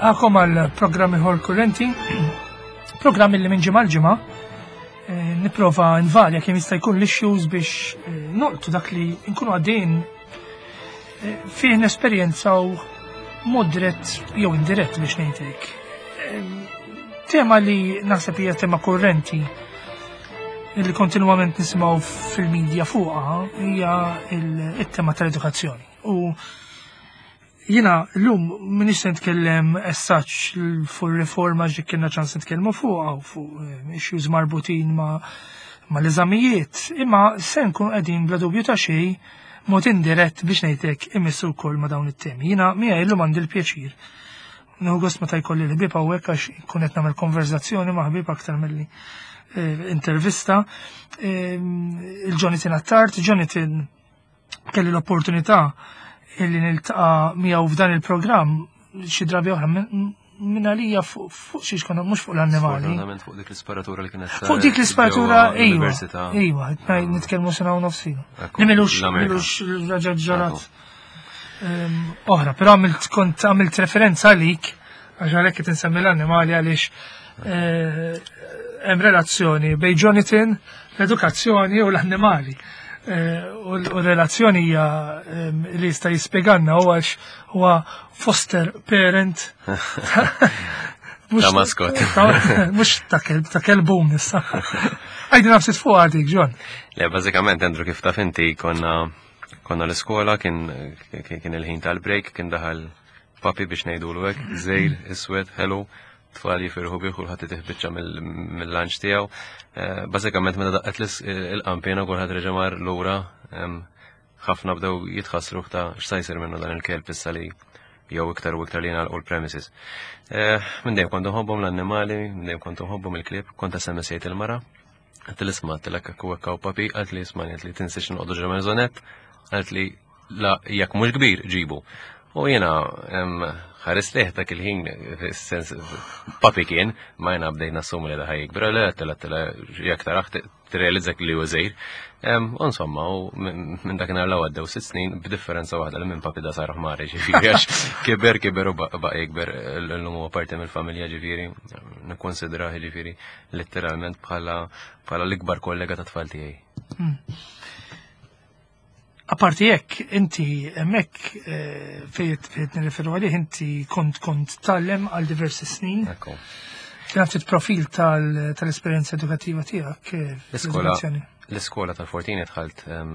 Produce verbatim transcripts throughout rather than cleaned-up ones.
Nilqagħkom għal programm ieħor kurrenti, programm li minn ġimgħa l-ġimgħa eh, nipprova nvarja kemm jista' jkun l-issues biex eh, nolqtu dak li nkunu għaddejn eh, fih nesperjenzaw mod dirett jew indirett, biex ngħidlek. Tema li naħseb hija tema kurrenti li kontinwament nisimgħu fil-medja fuqha hija il-tema tal-edukazzjoni. U jiena llum m'iniex se nitkellem as such fuq riforma, ġi kellna ċans nitkellmu fuqha u fuq eh, issues marbutin ma' ma' l-eżamijiet, imma se nkun qegħdin bla dubju ta' xejn mod indirett, biex ngħidlek, imissu wkoll ma' dawn it-temi. Jiena miegħi llum għandi l-pjaċir. Nieħu gost meta jkolli l-ħbieb hawnhekk għax nkun qed nagħmel konverzazzjoni ma' ħbieb aktar milli eh, intervista. Eh, Il-Jonathan Attard. Jonathan kelli l-opportunità illi niltaqa' miegħu f'dan il-programm xi drabi oħra minn għalija fuq fuq xiex konna, mhux fuq l-annimali. Sfortunatament fuq dik l-isparatura li kienet Fuq dik l-isparatura, ġewwa ejwa, l-università. Ejwa, nitkellmu sena u nofs ilu. Ekku, Li milux, l-Amerika. milux raġa ġarat ehm, oħra, però għamilt kont għamilt referenza għalik, għax għalhekk qed insemmi l-annimali, għaliex eh, hemm relazzjoni bejn Jonathan, l-edukazzjoni u l-annimali. Eh, U l-relazzjoni hija ehm, li jista' jispjegalna huwa għax huwa foster parent. Mhux- Ta' mascot. ta- Mhux ta' kelb, ta' kelbun issa. Għidilna ftit fuq għadik, John. Le, bażikament, Andrew, kif taf inti, konna konna l-iskola, kien kien kien il-ħin tal-break, kien daħal puppy, biex ngħidulu hekk, żgħir, iswed, hello, tfal jifirħu bih, kulħadd itih biċċa mill-lunch tiegħu. Eh, Bażikament meta daqqet l- il-qanpiena kulħadd reġa' mar lura, em, ħafna bdew jitħassru ta' x'sa jsir minnu dan il-kelb issa li jew iktar u iktar li jingħalqu l-premises. Eh, Minn dejjem kont nħobbhom l-annimali, minn dejjem kont nħobbhom il-klieb, kont S M S-ejt il-mara. Għedt isma', għedtilha hekk u hekk puppy, għalt li isma', għalt li tinsiex noqogħdu ġo maisonette, għalt li la jekk mhux kbir ġibu. U jiena em, ħares lejh dak il-ħin, sens puppy kien, ma jiena bdejt nassumi li da ħa jikber, le għedtilha għedtilha jekk tarah tirrealizza li huwa żgħir. Em, U insomma, u minn minn dakinhar l għaddew sitt snin, b'differenza waħda li minn puppy da sar ħmar, ġifieri, għax kiber kiber u baqa' jikber, l-lum huwa parti mill-familja, ġifieri, nikkonsidrah ġifieri letteralment bħala bħala l-ikbar kollega ta' tfal tiegħi. Aparti jekk, inti hemmhekk eh, fejn fejn nirreferu għalih, inti kont kont tgħallem għal diversi snin. Ekku. Kien ftit profil tal- tal-esperjenza edukattiva tiegħek eh, L-iskola fl-edukazzjoni. L-iskola tal-Fortini dħalt em,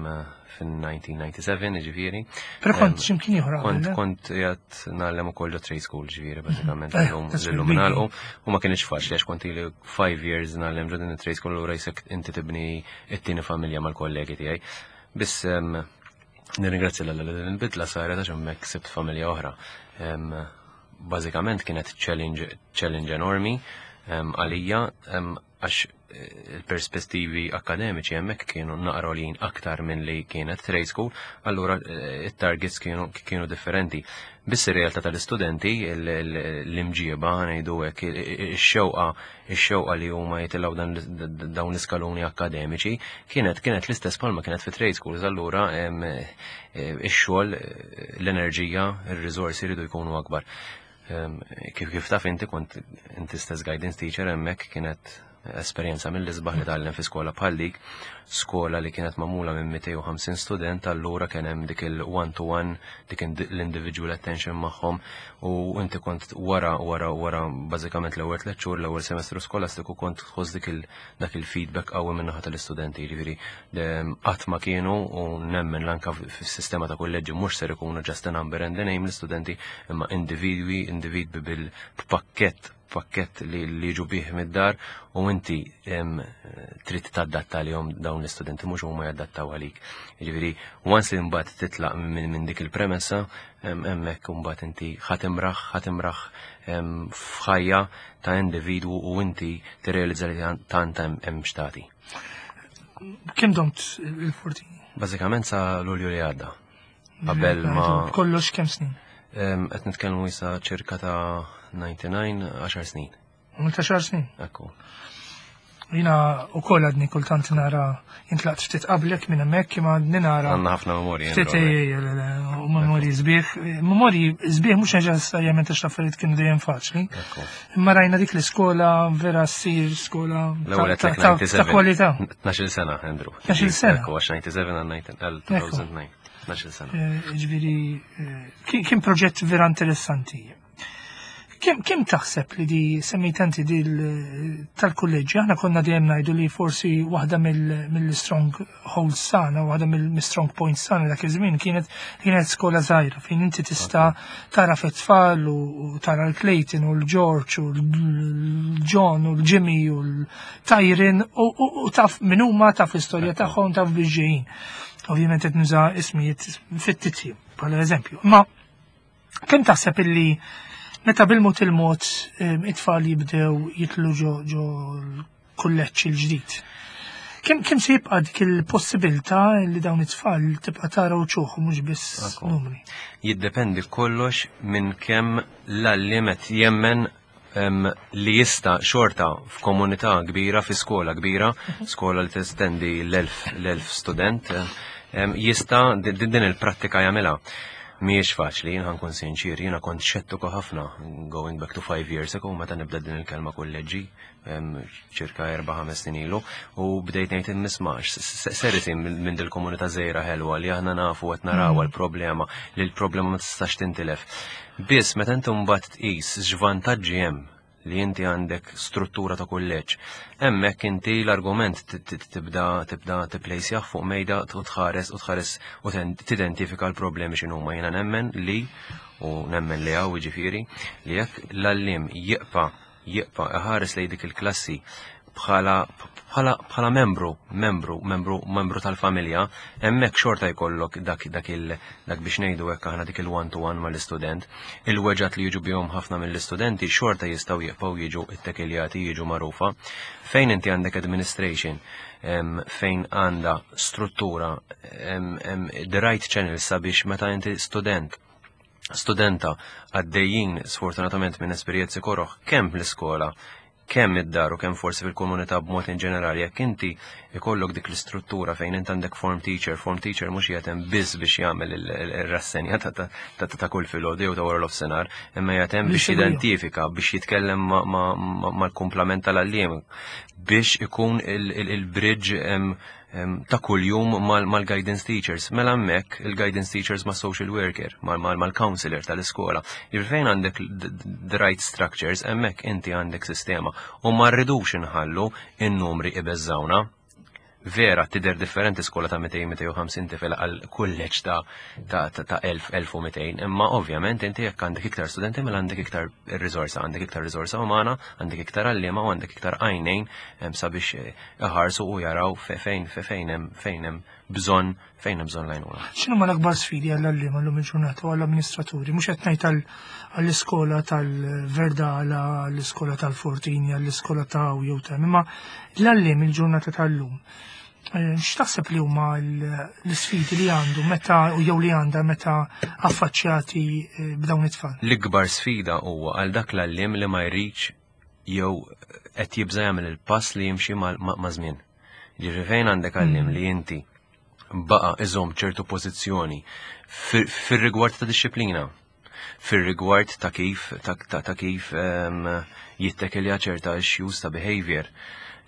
fin-elf disa' mija u disgħa u disgħin, ġifieri. Però kont Em, x'imkien ieħor Kont qabel, eh? kont qiegħed ngħallem ukoll ġo trade school, ġifieri, bażikament Eh, illum that's illum really nagħlqu u ma kienx faċli għax kont ili five years ngħallem ġo din it-trade school u rajsek inti tibni it-tieni familja mal-kollegi tiegħi. Biss em, nirringrazzja l li din il-bidla saret għax hemmhekk sibt familja oħra. Em, Bażikament kienet challenge challenge enormi em, għalija em, għax eh, il-perspettivi akademiċi hemmhekk kienu naqra għoljin aktar minn li kienet trade school, allura eh, it-targets kienu, kienu differenti. Biss ir-realtà tal-istudenti, il- il- l-imġieba, ngħidu hekk, ix-xewqa, ix-xewqa li huma jitilgħu dan dawn l-iskaluni akademiċi kienet kienet l-istess palma kienet fi trade schools, allura em, eh, ix-xogħol, eh, l-enerġija, ir-riżorsi jridu jkunu akbar. Em, Kif kif taf inti, kont inti stess guidance teacher hemmhekk, kienet esperjenza mill-isbaħ li tgħallem fi skola bħal dik, skola li kienet magħmula minn mitejn u ħamsin student, allura kien hemm dik il-one to one, dik l-individual attention magħhom u inti kont wara wara wara bażikament l-ewwel tliet xhur, l-ewwel semestru skolastiku, kont tħoss dik il dak il-feedback qawwi minn naħa tal-istudenti, jiġifieri qatt ma kienu, u nemmen lanka fis-sistema ta' kulleġġi mhux ser ikunu just a number and a name l-istudenti, imma individwi, individwi bil-pakkett pakket li li jiġu bih mid-dar u inti em, trid tadatta lihom dawn l-istudenti, mhux huma jadattaw għalik. Jiġifieri once li mbagħad titlaq minn min dik il-premessa, em, hemmhekk mbagħad inti ħa timraħ ħa timraħ em, f'ħajja ta' individwu u inti tirrealizza li tant hemm hemm x'tagħti. Kemm domt il-Fortini? Bażikament sa Lulju li għadda. Qabel ma Kollox kemm snin? em, qed nitkellmu issa ċirka ta' disgħa u disgħin, għaxar snin. Għamilt għaxar snin. Ekku. Jiena wkoll għadni kultant nara, intlaqt ftit qablek minn hemmhekk, imma għadni nara. Għandna ħafna memorji. Ftit, u memorji sbieħ, memorji sbieħ mhux neċessarjament għax l-affarijiet kienu dejjem faċli. Imma rajna dik l-iskola vera ssir skola ta' kwalità. tnax-il sena, Andrew. tnax-il sena. Ekku, għax disgħa u disgħin għal elfejn u disa'. tnax-il sena. Ġifieri, kien proġett vera interessanti. Kemm kem taħseb li di semmejt inti di tal-kulleġġi, aħna konna dejjem ngħidu li forsi waħda mill-strong holds tagħna, waħda mill-strong points tagħna dak iż-żmien kienet kienet skola żgħira fejn inti tista' tara fit-tfal u tara l-Clayton u l-George u l-John u l-Jimmy u l-Tyron u taf min huma, taf l-istorja tagħhom, taf biex ġejjin. Ovvjament qed nuża ismijiet fittizji bħala eżempju. Ma kemm taħseb illi meta bil-mod il-mod it-tfal jibdew jitlu ġo ġo l-kulleġġ il-ġdid, Kemm kemm se jibqa' dik il-possibilità li dawn it-tfal tibqa' tara wċuħ mhux biss numri? Jiddependi kollox minn kemm l-għalliem qed jemmen li jista' xorta f'komunità kbira, fi skola kbira, skola li testendi l-elf l-elf student, jista' din il-prattika jagħmilha. Mhijiex faċli, jien ħa nkun sinċir, jiena kont xettiku ħafna, going back to five years ago, meta nibda din il-kelma kulleġġi, ċirka erba' ħames snin ilu, u bdejt ngħid nismax, seriti minn dil-komunità żgħira ħelwa li aħna nafu qed naraw mm. l-problema, li l-problema ma tistax tintilef. Biss meta inti mbagħad tqis x'vantaġġi hemm li inti għandek struttura ta' kulleġġ. Hemmhekk inti l-argument tibda tibda tipplejsjah fuq mejda u tħares u tħares u tidentifika l-problemi x'inhuma. Jiena nemmen li u nemmen li hawn, jiġifieri, li jekk l-għalliem jibqa' jibqa' iħares lejn dik il-klassi bħala bħala bħala membru, membru, membru, membru tal-familja, hemmhekk xorta jkollok dak dak il dak biex ngħidu hekk aħna dik il-one to one mal-istudent. Il-weġgħat li jiġu bihom ħafna mill-istudenti xorta jistgħu jibqgħu jiġu ittekiljati, jiġu magħrufa. Fejn inti għandek administration, fejn għandha struttura, the right channel sabiex meta inti student studenta għaddejjin sfortunatament minn esperjenzi koroħ kemm l-iskola, kemm id-dar u kemm forsi fil-komunità b'mod in ġenerali, jekk inti ikollok dik l-istruttura fejn inti għandek form teacher, form teacher mhux qiegħed hemm biss biex jagħmel ir-rassenja ta' kull filgħodu jew ta' wara l-offsenar, imma qiegħed hemm biex jidentifika, biex jitkellem mal-kumplament tal-għalliem, biex ikun il-bridge ta' kull-jum mal-guidance teachers. Mela hemmhekk il-guidance teachers ma' social worker, mal-counselor tal-iskola. Fejn għandek the right structures, hemmhekk inti għandek sistema. U ma rridux inħallu in-numri ibeżżawna. Vera, tidher differenti skola ta' mitejn, mitejn u ħamsin tifel għal kulleġġ ta' ta' ta' elf, elf u mitejn, imma ovvjament inti jekk għandek iktar studenti mela għandek iktar riżorsa, għandek iktar riżorsa umana, għandek iktar għalliema u għandek iktar għajnejn sabiex iħarsu u jaraw fejn fejn hemm fejn hemm bżonn fejn hemm bżonn l-għajnuna. X'inhu l-akbar sfidi għall-għalliema llum il-ġurnata u għall-amministraturi? Mhux qed ngħid għall-iskola tal-Verdala, għall-iskola tal-Fortini, għall-iskola ta' jew ta' imma l-għalliem il-ġurnata tal-lum. Eh, x'taħseb li huma l-isfidi li għandu meta u jew li għandha meta affaċċjati eh, b'dawn it-tfal? L-ikbar sfida huwa għal dak l-għalliem li ma jridx jew qed jibża jagħmel il-pass li jimxi ma' żmien. Ġifieri fejn għandek għalliem mm. li inti baqa' iżomm ċertu pożizzjoni fir-rigward ta' disċiplina, fir-rigward ta' kif ta', ta, kif jittekilja ċerta issues ta' behavior.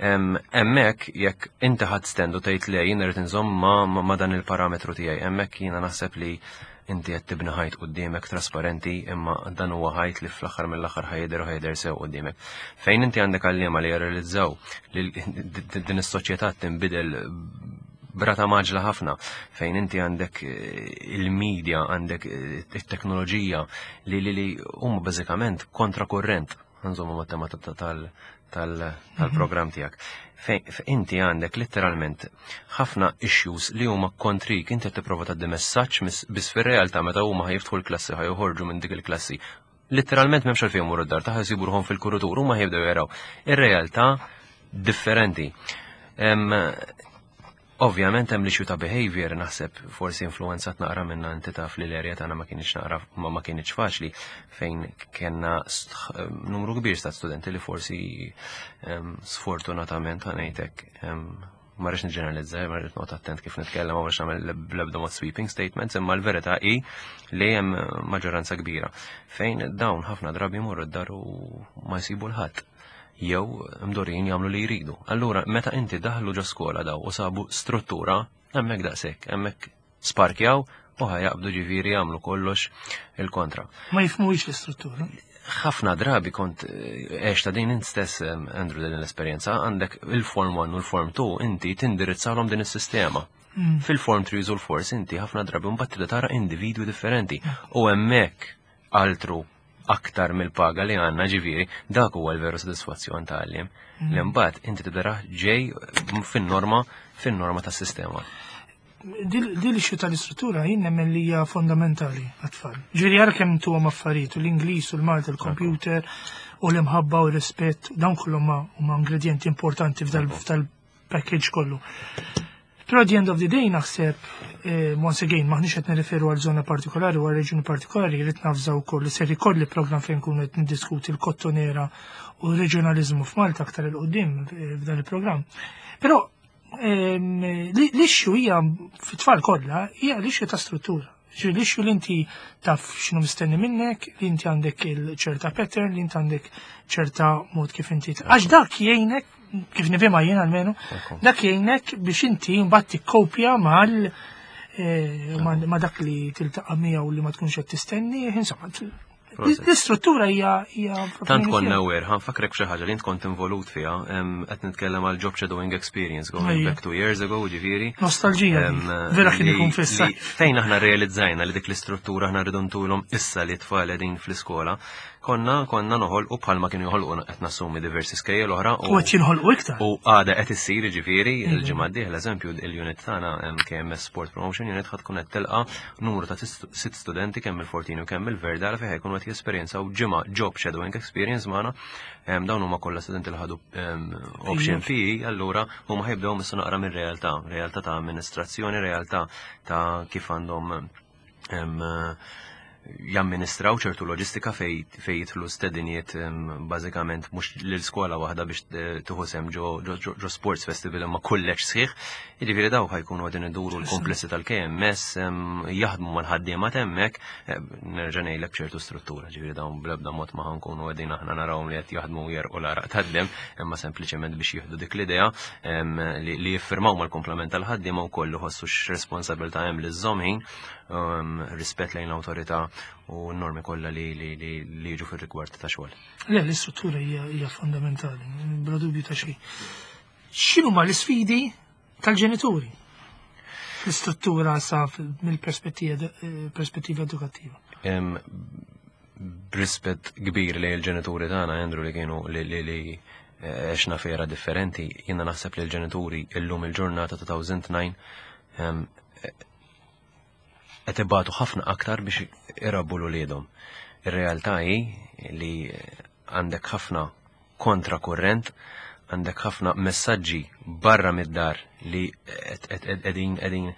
Hemmhekk jekk inti ħadd stand u tgħid le, jien irid inżomm ma, ma dan il-parametru tiegħi, hemmhekk jiena naħseb li inti qed tibni ħajt quddiemek trasparenti, imma dan huwa ħajt li fl-aħħar mill-aħħar ħa jidher u ħa jidher sew quddiemek. Fejn inti għandek għalliema li jirrealizzaw li din is-soċjetà tinbidel b'rata mgħaġġla ħafna, fejn inti għandek eh, il-media, għandek eh, it-teknoloġija li li li huma bażikament kontrakurrent, nżommu mat-tema tal-programm tiegħek. Fejn inti għandek letteralment ħafna issues li huma kontrik, inti qed tipprova tgħaddi messaġġ, biss fir-realtà meta huma ħa jiftħu l-klassi, ħa joħorġu minn dik il-klassi, letteralment m'hemmx għalfejn jmorru d-dar, ta' jsibu ruħhom fil-kuritur, huma jibdew jaraw ir-realtà differenti. Ovvjament hemm l-issue ta' behavior, naħseb forsi influenzat naqra minna, inti taf li l-area tagħna ma kienx naqra ma, ma kienx faċli, fejn kellna numru kbir ta' studenti li forsi um, sfortunatament, ħa ngħidlek, um, ma rridx niġġeneralizza, ma rridx noqgħod attent kif nitkellem, ma rridx nagħmel bl-ebda mod sweeping statements, imma l-verità hi li hemm maġġoranza kbira fejn dawn ħafna drabi jmorru d-dar u ma jsibu 'l ħadd jew mdorrijin jagħmlu li jridu. Allura, meta inti daħlu ġo skola daw u sabu struttura, hemmhekk daqshekk, hemmhekk sparkjaw u ħa jaqbdu, ġifieri, jagħmlu kollox il-kontra. Ma jifhmux l-istruttura. Ħafna drabi kont għex ta' din int stess, Andrew, din l-esperjenza, għandek il-Form one u l-Form two, inti tindirizzalhom din is-sistema. Mm. Fil-Form three u l-four inti ħafna drabi mbagħad tibda tara individwi differenti u hemmhekk altru aktar mill-paga li għandna, ġifieri, dak huwa l-veru sodisfazzjon ta' għalliem. Mm. Li mbagħad inti tibda ġej fin-norma fin-norma tas-sistema. Din l-issue tal-istruttura jien nemmen li hija fondamentali għat-tfal. Ġifieri ara kemm tuhom affarijiet, l-Ingliż u l-Malti, l-computer u l-imħabba u l-rispett, dawn kollhom huma ingredienti importanti f'dal-package kollu. Però at the end of the day naħseb, eh, once again, maħniex qed nirreferu għal żona partikolari u għal reġjuni partikolari, rrid navża wkoll li ser ikolli program fejn nkunu qed niddiskuti l-Kottonera u r-reġjonaliżmu f'Malta aktar 'il quddiem eh, f'dan il-programm. Però ehm, l-issue hija fit-tfal kollha hija l-issue ta' struttura. Ġifieri l-issue li inti taf x'inhu mistenni minnek, li inti għandek il-ċerta pattern, li inti għandek ċerta mod kif inti. Għax dak jgħinek, kif nifhimha jien almenu, dak jgħinek biex inti mbagħad tikkopja mal eh, ma dak li tiltaqa' miegħu li ma tkunx qed tistenni, insomma, l-istruttura hija hija Tant konna aware, ħa nfakkrek xi ħaġa li int kont involut fiha, qed nitkellem għal job shadowing experience going back two years ago, ġifieri. Nostalġija. Vera kien ikun fissa. Fejn aħna realizzajna li dik l-istruttura aħna rridu ntulhom issa li tfal qegħdin fl-iskola, konna konna noħolqu bħalma kienu joħolqu, qed nassumi, diversi skejjel oħra. U qed jinħolqu iktar. U għada qed issir, ġifieri, il-ġimgħa d-dieħla, eżempju, il-unit tagħna K M S Sport Promotion Unit ħad tkun qed tilqa' numru ta' sitt studenti, kemm il-Fortinu kemm il-Verdala, fejn ħajkunu qed jesperjenzaw ġimgħa job shadowing experience magħna. Dawn huma kollha studenti li ħadu option P E, allura huma ħajbdew missu naqra mir-realtà, realtà ta' amministrazzjoni, realtà ta' kif għandhom jamministraw ċertu loġistika fej fej jidħlu stediniet, bażikament mhux l-iskola waħda biex tieħu sehem ġo, ġo, ġo sports festival imma kulleġġ sħiħ. Jiġifieri daw ħa jkunu qegħdin iduru l-komplessi tal-K M S, jaħdmu mal-ħaddiema hemmhekk, nerġa' ngħidlek, b'ċertu struttura, ġifieri dawn bl-ebda mod ma ħankunu qegħdin aħna narawhom li qed jaħdmu jerqu l-għaraq tad-demm, imma sempliċement biex jieħdu dik l-idea li jiffirmaw mal-komplement tal-ħaddiema wkoll ħossu x'responsabilità hemm li żżomm ħin, rispett lejn l-awtorità u n-normi kollha li li li li jiġu fir-rigward ta' xogħol. Le, l-istruttura hija hija fondamentali, bla dubju ta' xejn. X'inhuma l-isfidi tal-ġenituri fl-istruttura sa mill-perspettiva eh, perspettiva edukattiva? Em, B'rispett kbir li l-ġenituri tagħna, Andrew, li kienu li li li eh, għexna f'era differenti, jiena naħseb li l-ġenituri illum il-ġurnata elfejn u disa' em, qed ibatu ħafna aktar biex irabbu l-uliedhom. Ir-realtà hi li għandek ħafna kontrakurrent, għandek ħafna messaġġi barra mid-dar li qegħdin qegħdin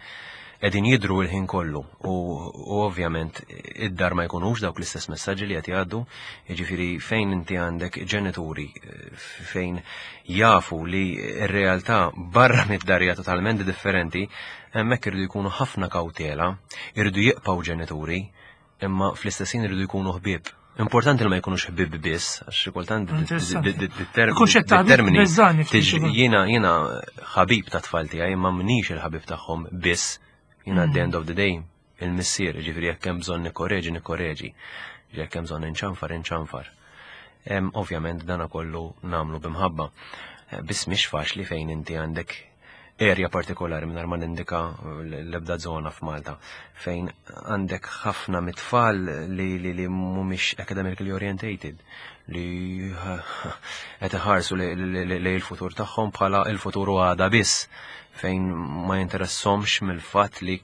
qegħdin jidru l-ħin kollu u, u ovvjament id-dar ma jkunux dawk l-istess messaġġi li qed jgħaddu, jiġifieri fejn inti għandek ġenituri eh, fejn jafu li r-realtà barra mid-dar hija totalment differenti, hemmhekk irridu jkunu ħafna kawtela, irridu jibqgħu ġenituri, imma fl-istess ħin irridu jkunu ħbieb. Importanti li ma jkunux ħbieb biss, għax xi kultant Interessanti. Kunċett ta' ħbieb termini beżani ftit tiġri- ukoll. jiena jiena ħabib ta' tfal tiegħi imma m'iniex il-ħabib tagħhom biss. Jiena at the end of the day il-missier, ġifieri jekk hemm bżonn nikkoreġi, nikkoreġi. Jekk hemm bżonn inċanfar, inċanfar. Em, Ovvjament dana kollu nagħmlu b'imħabba. Eh, Biss mhix faċli fejn inti għandek area partikolari, mingħajr ma nindika l-ebda zona f'Malta, fejn għandek ħafna mit-tfal li li li mhumiex academically orientated, li qed iħarsu li li l-futur tagħhom bħala il-futur u għada biss, fejn ma jinteressahomx mill-fatt li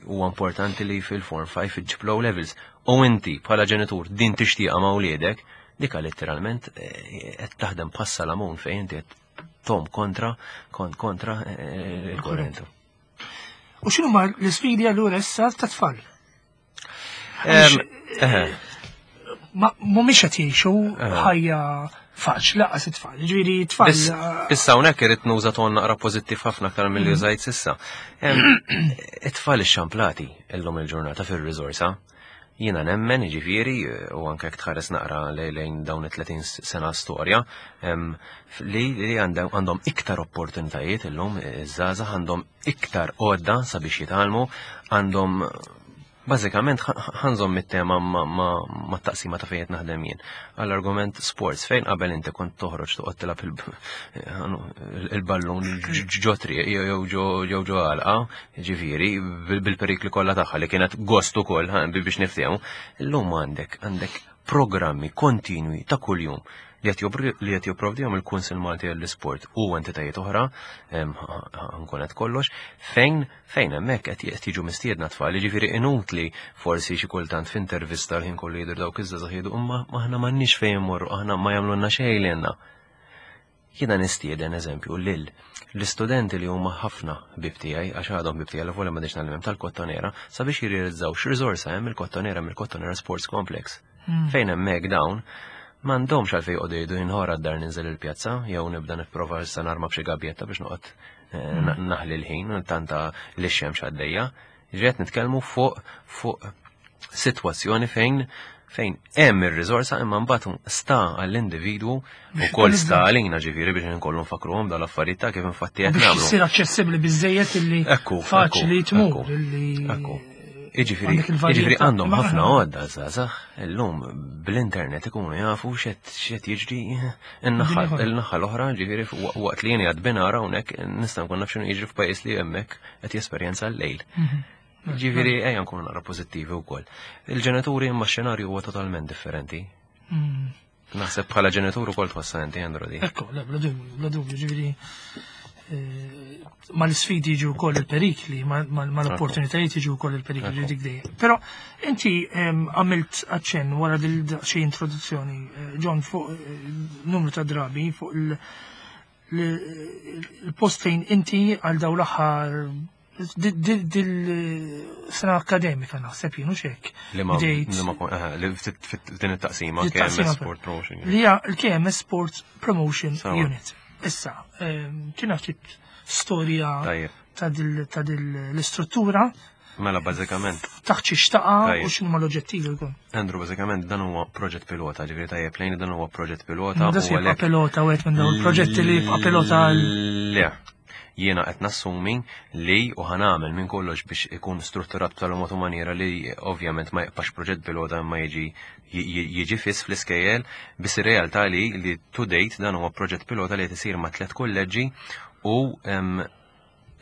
huwa importanti li fil-Form five iġġib O levels. U inti bħala ġenitur din tixtieqa ma' wliedek, dika letteralment eh, qed taħdem passa lamun fejn inti qed tom kontra kon, kontra eh, il-korrentu. U x'inhuma l-isfidi allura issa tat-tfal? Em, eh, Ma mhumiex qed jgħixu ħajja faċli lanqas it-tfal. Ġifieri tfal Biss issa hawnhekk irid nuża ton naqra pożittiv ħafna aktar milli użajt s'issa. Em, It-tfal ixxamplati illum il-ġurnata fir-riżorsa. Jiena nemmen, ġifieri, u anke jekk tħares naqra lejn lejn dawn it-tletin sena storja, em, li li għandhom għandhom iktar opportunitajiet illum, iż-żgħażagħ għandhom iktar għodda sabiex jitgħallmu, għandhom bażikament ħa nżomm it-tema ma, ma, ma taqsima ta' fejn qed naħdem jien. Għall-argument sports, fejn qabel inti kont toħroġ toqgħod tilgħab il- il-ballun ġo triq jew ġo jew ġo għalqa, ġifieri bil- bil-perikli kollha tagħha li kienet gost ukoll ħa, biex niftehmu. Illum għandek għandek programmi kontinwi ta' kuljum li qed joppri- li qed jipprovdihom il-Kunsill Malti għall-Isport u entitajiet oħra, em, nkun qed kollox, fejn fejn hemmhekk qed qed jiġu mistiedna tfal, jiġifieri inutli forsi xi kultant f'intervista l-ħin kollu jidher dawk iż-żgħażagħ jgħidu imma aħna m'għandniex fejn immorru, aħna ma jagħmlulna xejn lilna. Jiena nistieden eżempju lil l-istudenti li huma ħafna ħbieb tiegħi, għax għadhom ħbieb tiegħi l ma ngħallimhom tal-Kottonera, sabiex jirrealizzaw x'riżorsa hemm il-Kottonera mill-Kottonera Sports Complex. Fejn hemmhekk dawn m'għandhomx għalfejn joqogħdu jgħidu jinħora d-dar ninżel il-pjazza jew nibda nipprova issa narma b'xi gabjetta biex noqgħod eh, na- naħli l-ħin u tanta li x-xemx għaddejja. Ġiet nitkellmu fuq fuq sitwazzjoni fejn fejn hemm ir-riżorsa, imma mbagħad sta għall-individwu ukoll sta għalina ġifieri biex nkollu nfakruhom dal-affarijiet ta' kif infatti qed biex nagħmlu. issir aċċessibbli biżejjed illi Ekku, faċli ekku, tmur ekku, illi ekku. Iġifieri, għandek il-varjetà. Iġifieri għandhom Ma- ħafna għodda żgħażagħ illum bl-internet ikunu jafu x'qed x'qed jiġri in-naħa Dinja il-naħa l-oħra, ġifieri waqt li jien għad binara hawnhekk nista' nkun naf x'inhu jiġri f'pajjiż li hemmhekk qed jesperjenza l-lejl. Mhm. Ġifieri ejja nkunu naqra pożittivi wkoll. Il-ġenituri, imma x-xenarju huwa totalment differenti. Mm. Naħseb bħala ġenitur ukoll tħossha inti, Andrew, di. Ekku, le, bla dubju, bla dubju, ġifieri eh, ma l-sfidi jiġu wkoll il-perikli, ma l-opportunitajiet jiġu wkoll il-perikli dik dejjem. Però inti em, għamilt aċċenn wara dil xi introduzzjoni, eh, John, fuq eh, numru ta' drabi fuq il- l- il-post fejn inti għal daw l-aħħar dil-sena akademika, naħseb jien, u xek. Li ma Bdejt- li ma eh, li ftit- fit- din it-taqsima Din it-taqsima K M S Sport Promotion. Li hija l-K M S Sport Promotion Sawa. Unit. Issa, ehm, kien ftit storja Tajjeb. ta' dil ta' dil l-istruttura, Mela bażikament taħt xi xtaqa Tajjeb. u x'inhuma l-oġġettivi wkoll. Andrew, bażikament dan huwa proġett pilota, ġifieri tajjeb lejn dan huwa proġett pilota. Da U se jibqa' għalhekk pilota, wieħed minn dawn il-proġetti li jibqa' pilota għal Le. Jiena qed nassumi li u ħa nagħmel minn kollox biex ikun strutturat b'tal mod u maniera li ovvjament ma jibqax proġett pilota imma jiġi jiġi fiss fl-iskejjel, biss ir-realtà li li to date dan huwa proġett pilota li qed isir ma' tliet kolleġġi u em,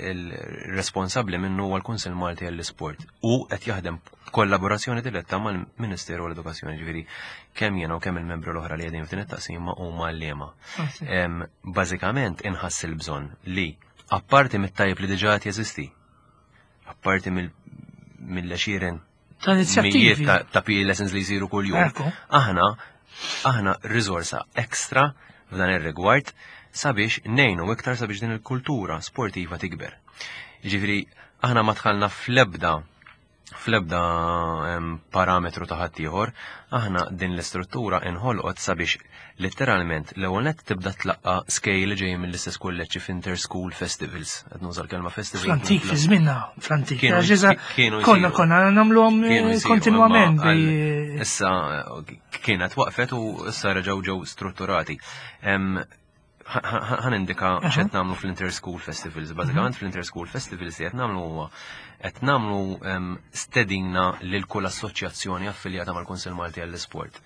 il-responsabbli minnu huwa l-Kunsill Malti għall-Isport u qed jaħdem kollaborazzjoni diretta mal-Ministeru għall-Edukazzjoni, ġifieri kemm jiena u kemm il-membru l-oħra li qegħdin f'din it-taqsima huma għalliema. Em, Bażikament inħass il-bżonn li apparti mit-tajjeb li diġà qed jeżisti, apparti mill-għexieren ta' mijiet inizjattivi. ta' ta' P E lessons li jsiru kuljum. Ekku. Aħna aħna riżorsa ekstra f'dan ir-rigward sabiex ngħinu iktar sabiex din il-kultura sportiva tikber. Ġifieri aħna ma dħalna fl-ebda fl-ebda em, parametru ta' ħaddieħor, aħna din l-istruttura inħolqot sabiex letteralment l-ewwel nett tibda tlaqqa skejjel li ġejjin mill-istess kulleġġi f'inter-school festivals. Qed nuża l-kelma festival. Fl-antik, fi żminna, fl-antik. Kienu- Għax iżda kienu konna jsiru. konna nagħmluhom Kienu jsiru, kontinwament. imma għal- bi- Issa kienet waqfet u issa reġgħu ġew strutturati. Em, ħa nindika x'qed nagħmlu fl-Inter-School Festivals. Bażikament fl-Inter-School Festivals li qed nagħmlu huwa qed nagħmlu em, stedina lil kull assoċjazzjoni affiljata mal-Kunsill Malti għall-Isport.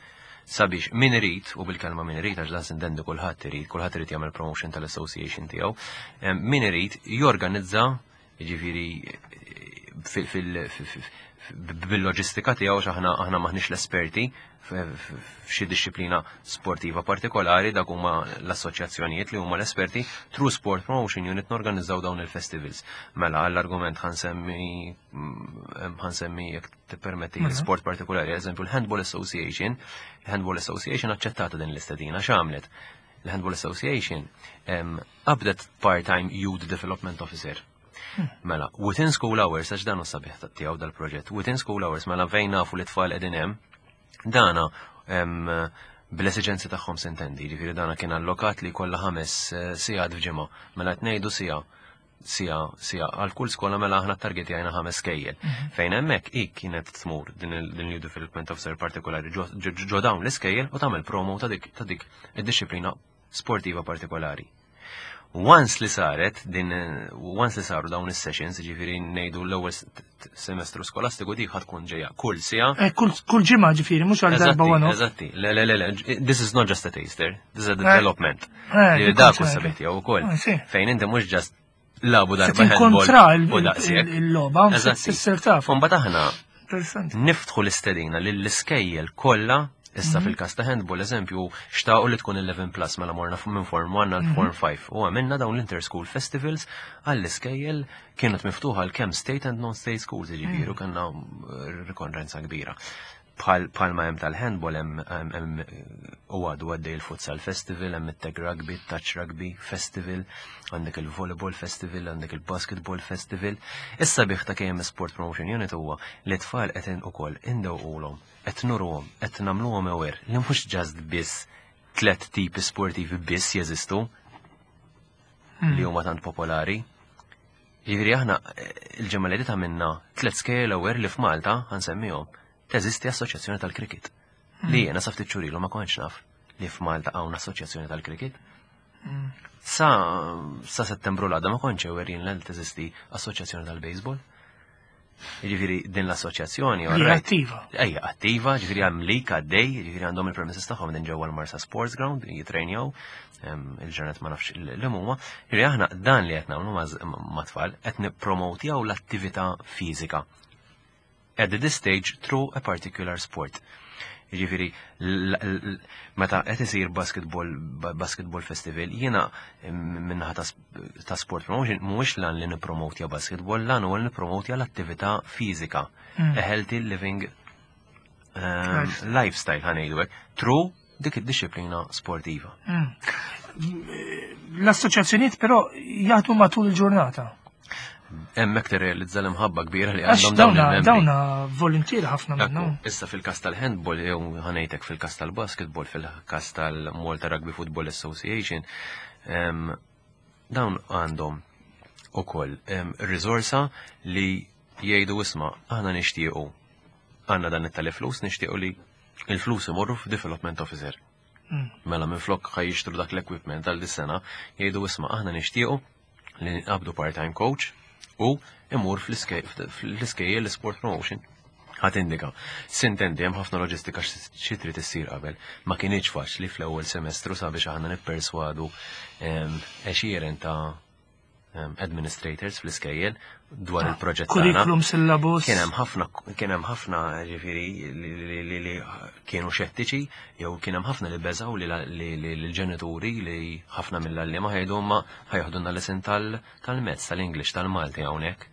Sabiex min irid, u bil-kelma min irid, għax dan sintendi kulħadd irid, kulħadd irid jagħmel promotion tal-association tiegħu, em, min irid jorganizza, jiġifieri fil- fil- fil- bil-loġistika tiegħu, għax aħna aħna maħniex l-esperti f'xi disċiplina sportiva partikolari, dak huma l-assoċjazzjonijiet li huma l-esperti, through Sport Promotion Unit norganizzaw dawn il-festivals. Mela għall-argument ħa nsemmi mm, ħa nsemmi jekk tippermetti Mela. sport partikolari, eżempju l-Handball Association, il-Handball Association aċċettata din l-istedina, x'għamlet? Il-Handball Association qabdet part-time Youth Development Officer. Hmm. Mela, within school hours, għax dan sabiħ tiegħu dal-proġett, within school hours, mela fejn nafu li tfal qegħdin hemm, dana bl-esiġenzi tagħhom s'intendi, ġifieri dana kien allokat li kollha ħames eh, sigħat f'ġimgħa, mela qed ngħidu siegħa siegħa siegħa għal kull skola, mela aħna targetjajna ħames skejjel. Mhm. Fejn hemmhekk i kienet tmur din il-Youth Development Officer partikolari ġo dawn l-iskejjel u tagħmel promo ta' dik ta' dik id-disciplina sportiva partikolari. Once li saret din, once li saru dawn is-sessions, ġifieri ngħidu l-ewwel semestru skolastiku, dik ħa tkun ġejja kull siegħa. Eh, kull ġimgħa ġifieri, mhux għal darba one. Eżatti, le le le, this is not just a taster, this is a development. Eh, dak u sabiħ tiegħu ukoll. Eh, fejn inti mhux just lagħbu darba handball il-logħba, tissir taf. Mbagħad aħna niftħu l-istedina lill-iskejjel kollha. Issa mhm. fil-kas ta' handball, eżempju, xtaqu li tkun eleven plus, mela morna minn Form one għal Form five mhm. u għamilna dawn l-interschool festivals għall-iskejjel, kienet miftuħa għal kemm state and non-state schools, ġifieri mhm. kellna eh, rikorrenza kbira. Bħalma hemm tal-handball, hemm u għadu għaddej il-futsal festival, hemm it-tag rugby, touch rugby festival, għandek il-volleyball festival, għandek il-basketball festival. Issa biħ ta' K M Sport Promotion Unit huwa li tfal qed ukoll indewqulhom, qed nuruhom, qed nagħmluhom aware li mhux just biss tlet tipi sportivi biss jeżistu li huma tant popolari. Jiġifieri aħna eh, il-ġimgħa li għamilna tliet skejjel aware li f'Malta, ħa nsemmihom, teżisti assoċjazzjoni tal-cricket. Li jiena sa ftit xhur ilu ma kontx naf li f'Malta hawn assoċjazzjoni tal-cricket. Sa, sa Settembru l-għadda ma kontx aware jien li teżisti assoċjazzjoni tal-baseball. Jiġifieri din l-assoċjazzjoni. Li attiva. Ejja, attiva, ġifieri hemm lig għaddej, ġifieri għandhom il-premises tagħhom din ġewwa l-Marsa Sports Ground, jitrejnjaw, il-ġranet ma nafx li huma. Ġifieri aħna dan li qed nagħmlu ma' tfal, qed nippromotjaw l-attività fiżika at this stage through a particular sport. Ġifieri, meta qed isir basketball basketball festival, jiena min-naħa ta' sport promotion mhuwiex lan li nippromotja basketball, lan huwa li nippromotja l-attività fiżika. Hmm. A healthy living um, lifestyle, ħa ngħidu hekk, through dik id-disciplina sportiva. Hmm. L-assoċjazzjonijiet però jaħdmu matul il-ġurnata. Hemmhekk tirrealizza l-imħabba kbira li għandhom dawn il-membri. Dawna voluntieri ħafna minnhom. Issa fil-kas tal-handball, jew ħa ngħidlek fil-kas tal-basketball, fil-kas tal-Malta Rugby Football Association, dawn għandhom ukoll risorsa li jgħidu, "Isma', aħna nixtiequ, għandna dan it-tali flus, nixtiequ li il-flus imorru f'development officer." Hmm. Mela minn flok ħa jixtru dak l-equipment għal dis-sena, jgħidu, "Isma', aħna nixtiequ li nqabdu part-time coach u imur fl-iskejjel l-sport promotion ħa tindika." S'intendi hemm ħafna loġistika xi trid issir qabel. Ma kienx faċli fl-ewwel semestru sabiex aħna nipperswadu għexieren ta' administrators fl-iskejjel dwar ah, il-proġett. Curriculum, syllabus. Kien hemm ħafna kien hemm ħafna ġifieri li kienu xettiċi jew kien hemm ħafna li beżaw li l-ġenituri, li ħafna mill-għalliema ħajdu ma ħa jeħdulna l-lesson tal-Maths, tal-English, tal-Malti hawnhekk.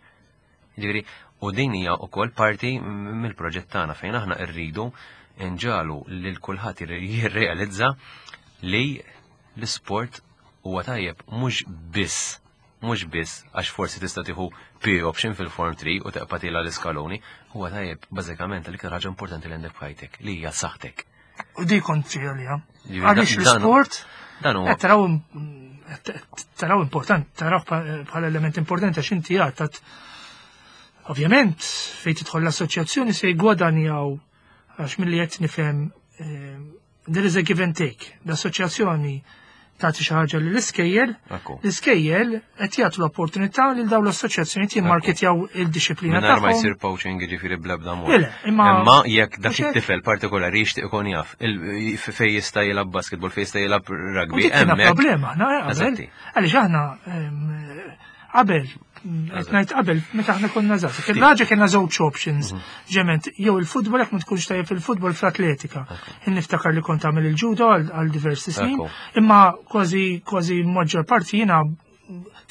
Ġifieri, u din hija wkoll parti mill-proġett tagħna fejn aħna rridu nġagħlu lil kulħadd jirrealizza li l-sport huwa tajjeb mhux biss mhux biss għax forsi tista' tieħu P option fil-Form three u teqpa' tiela' l-iskaloni, huwa tajjeb bażikament l-iktar ħaġa importanti li għandek f'ħajtek, li hija saħħtek. U di kont għalija. Għaliex l-sport Dan huwa taraw taraw important, taraw bħala element importanti għax inti għatat. Ovvjament, fejn tidħol l-assoċjazzjoni se jgwadanjaw għax milli qed nifhem eh, there is a give and take. L-assoċjazzjoni tagħti xi ħaġa lill-iskejjel, l-iskejjel qed jagħtu l-opportunità lil dawn l-assoċjazzjonijiet jimmarketjaw il-dixxiplina tagħhom. Ma jsir poaching, jiġifieri, bl-ebda mod. Imma jekk dak it-tifel partikolari jixtieq ikun jaf fejn jista' jilgħab basketball, fejn jista' jilgħab rugby, hemmhekk. Problema aħna qabel. Għaliex aħna qabel, qed ngħid qabel meta aħna konna żgħar. Kien raġa kellna żewġ options. Mhm. Ġement jew il-futbol, jekk ma tkunx tajjeb fil-futbol, fl-atletika. Niftakar li kont tagħmel il-ġudo għal diversi snin, imma kważi kważi maġġor parti jiena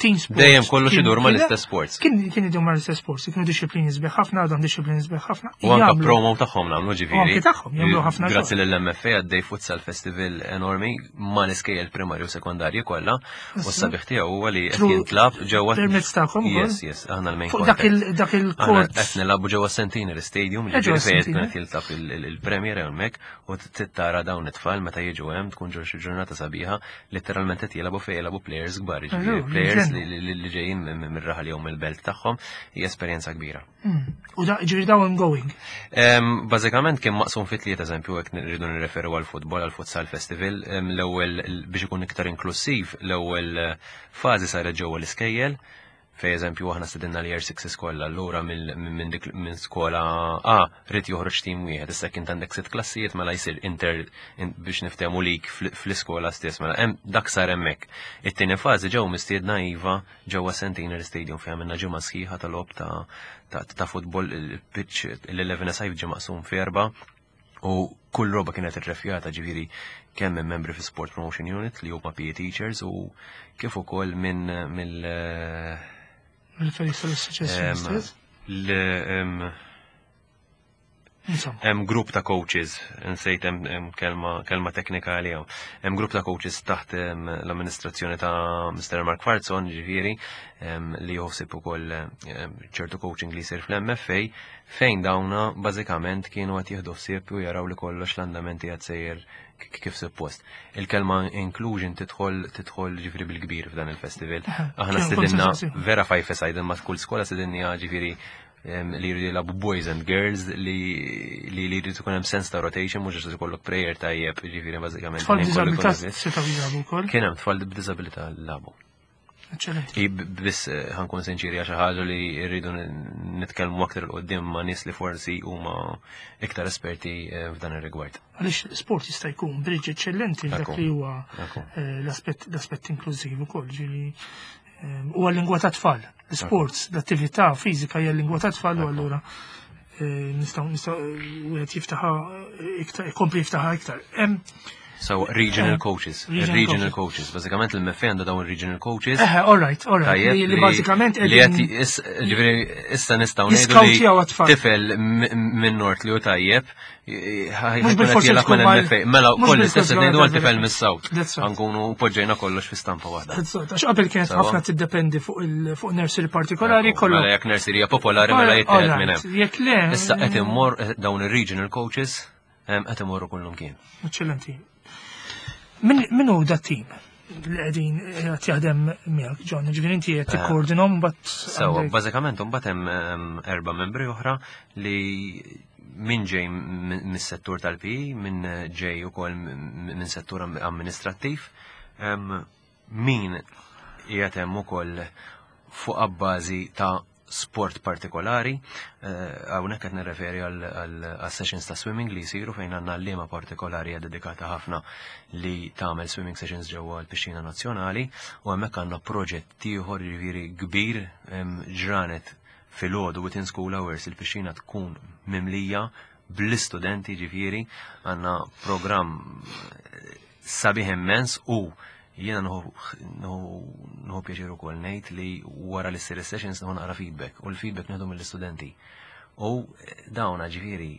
team sports. Dejjem kollox kien- idur kien- mal-istess sports. Kien kien idur mal-istess sports, kienu disciplini sbieħ ħafna, għadhom disciplini sbieħ ħafna. U anka Jagħmlu- promo tagħhom nagħmlu ġifieri. U anki tagħhom, jagħmlu ħafna Grazzi xogħol. lill-M F A għaddej futsal festival enormi ma l-iskejjel primarju u sekondarji kollha u s-sabiħ tiegħu huwa li qed Through- jintlab ġewwa permezz tagħkom ukoll? Yes, yes, aħna l-main Fuq dak contact. il- dak Aħna il-court. qed nilagħbu ġewwa Centenary Stadium, Eh, ġewwa ġifieri fejn Centenary. qed jiltab il- il- il-Premier hemmhekk u tittara dawn it-tfal meta jiġu hemm, tkun ġo xi ġurnata sabiħa, letteralment qed jilagħbu fejn jilagħbu players kbar, ġifieri Allura, players ġennu. li li li ġejjin minn mir-raħal jew mill-belt tagħhom, hija esperjenza kbira. Mm. U da ġifieri dawn ongoing. Em, Bażikament kien maqsum fi tliet, eżempju, jekk nridu nirreferu għal futbol, għal futsal festival, em, l-ewwel biex ikun iktar inklusiv, l-ewwel eh, fażi saret ġewwa l-iskejjel, fej eżempju aħna stedinna l year six kollha, allura minn minn dik minn skola A rid joħroġ tim wieħed, issa kien għandek sitt klassijiet, mela jsir inter in- biex niftehmu lik fl- fl-iskola stess, mela hemm dak sar hemmhekk. It-tieni fażi ġew mistiedna iva ġewwa Centenary Stadium, fejn għamilna ġimgħa sħiħa tal-logħob ta' ta' ta' futbol, il-pitch l-eleven side ġie maqsum f'erba' u kull roba kienet irrefjata, ġifieri kemm minn membri fi Sport Promotion Unit li huma P E teachers u kif ukoll minn mill Mill-Felix tal-Association em, stess. l- em, Insomma. Hemm grupp ta' coaches, insejt hemm hemm kelma kelma teknika għalihom. Hemm grupp ta' coaches taħt em, l-amministrazzjoni ta' Mister Mark Farzon, ġifieri, em, li joħsib ukoll em, ċertu coaching li jsir fl-M F A, fejn dawna bażikament kienu qed jieħdu ħsieb u jaraw li kollox l-andamenti qed sejjer k- kif suppost. Il-kelma inclusion tidħol tidħol ġifieri bil-kbir f'dan il-festival. Aħna Kien stedinna konsens. vera five side imma kull skola stedinna ġifieri em, li jridu jilagħbu boys and girls, li li li jridu ikun hemm sens ta' rotation, mhux just ikollok player tajjeb, ġifieri bażikament Tfal il-ħin kollu b'diżabilità jkun biss. setgħu jilagħbu wkoll. Kien hemm tfal b'diżabilità lagħbu. Eċċellenti. I b- biss eh, ħa nkun sinċiri, għax ħaġa li rridu n- nitkellmu aktar 'il quddiem ma' nies li forsi huma iktar esperti eh, f'dan ir-rigward. Għaliex sport jista' jkun bridge eċċellenti f'dak Ekku. li huwa Ekku. eh, l-aspett l-aspett inklużiv ukoll, ġieli eh, huwa l-lingwa ta' tfal. L-sports, l-attività fiżika hija l-lingwa ta' tfal u allura eh, nistgħu nistgħu wieħed jiftaħa iktar, ikompli jiftaħa iktar. Hemm So, regional coaches. Regional Regional coaches. Bażikament il-M F A għandha dawn regional coaches. Eħe, all right, all right. Tajjeb, Li, li bażikament li qed qegħdin is- ġifieri issa nistgħu ngħidu li jiskawtjaw għat-tfal. Tifel m- minn North li hu tajjeb Mhux bil-forsi jilgħab tkun mal- mal-M F A. Mela mhux koll bil-forsi istess qed ngħidu mal- għal tifel mis-South. That's right. Ħa nkunu poġġejna kollox fi stampa waħda. That's right. Għax qabel kienet Sawa. ħafna tiddependi fuq il fuq nursery partikolari kollu. Mela jekk nursery hija popolari, mela jittieħed minn hemm. Jekk le. Issa qed immor dawn ir-regional coaches em, qed imorru kullum kien. Eccellenti. Min min hu da team li qegħdin qed jaħdem miegħek, John? Ġifieri inti qed tikkoordinhom mbagħad Sewa, għandek- bażikament mbagħad hemm em, erba' membri oħra li min ġej m- mis-settur tal-P E, min ġej ukoll m- minn settur am- amministrattiv, em, min qiegħed hemm ukoll fuq abbażi ta' sport partikolari, eh, hawnhekk qed nirreferi għal għal sessions ta' swimming li jsiru, fejn għandna għalliema partikolari hija dedikata ħafna li tagħmel swimming sessions ġewwa l-Pixxina Nazzjonali, u hemmhekk għandna proġett ieħor, ġifieri kbir, em, ġranet filgħodu within school hours il-pixxina tkun mimlija bl-istudenti, ġifieri għandna programm eh, sabiħ immens. U jiena nieħu pjaċir ukoll ngħid li wara li ssir sessions nieħu naqra feedback, u l-feedback nieħdu mill-istudenti. U dawna ġifieri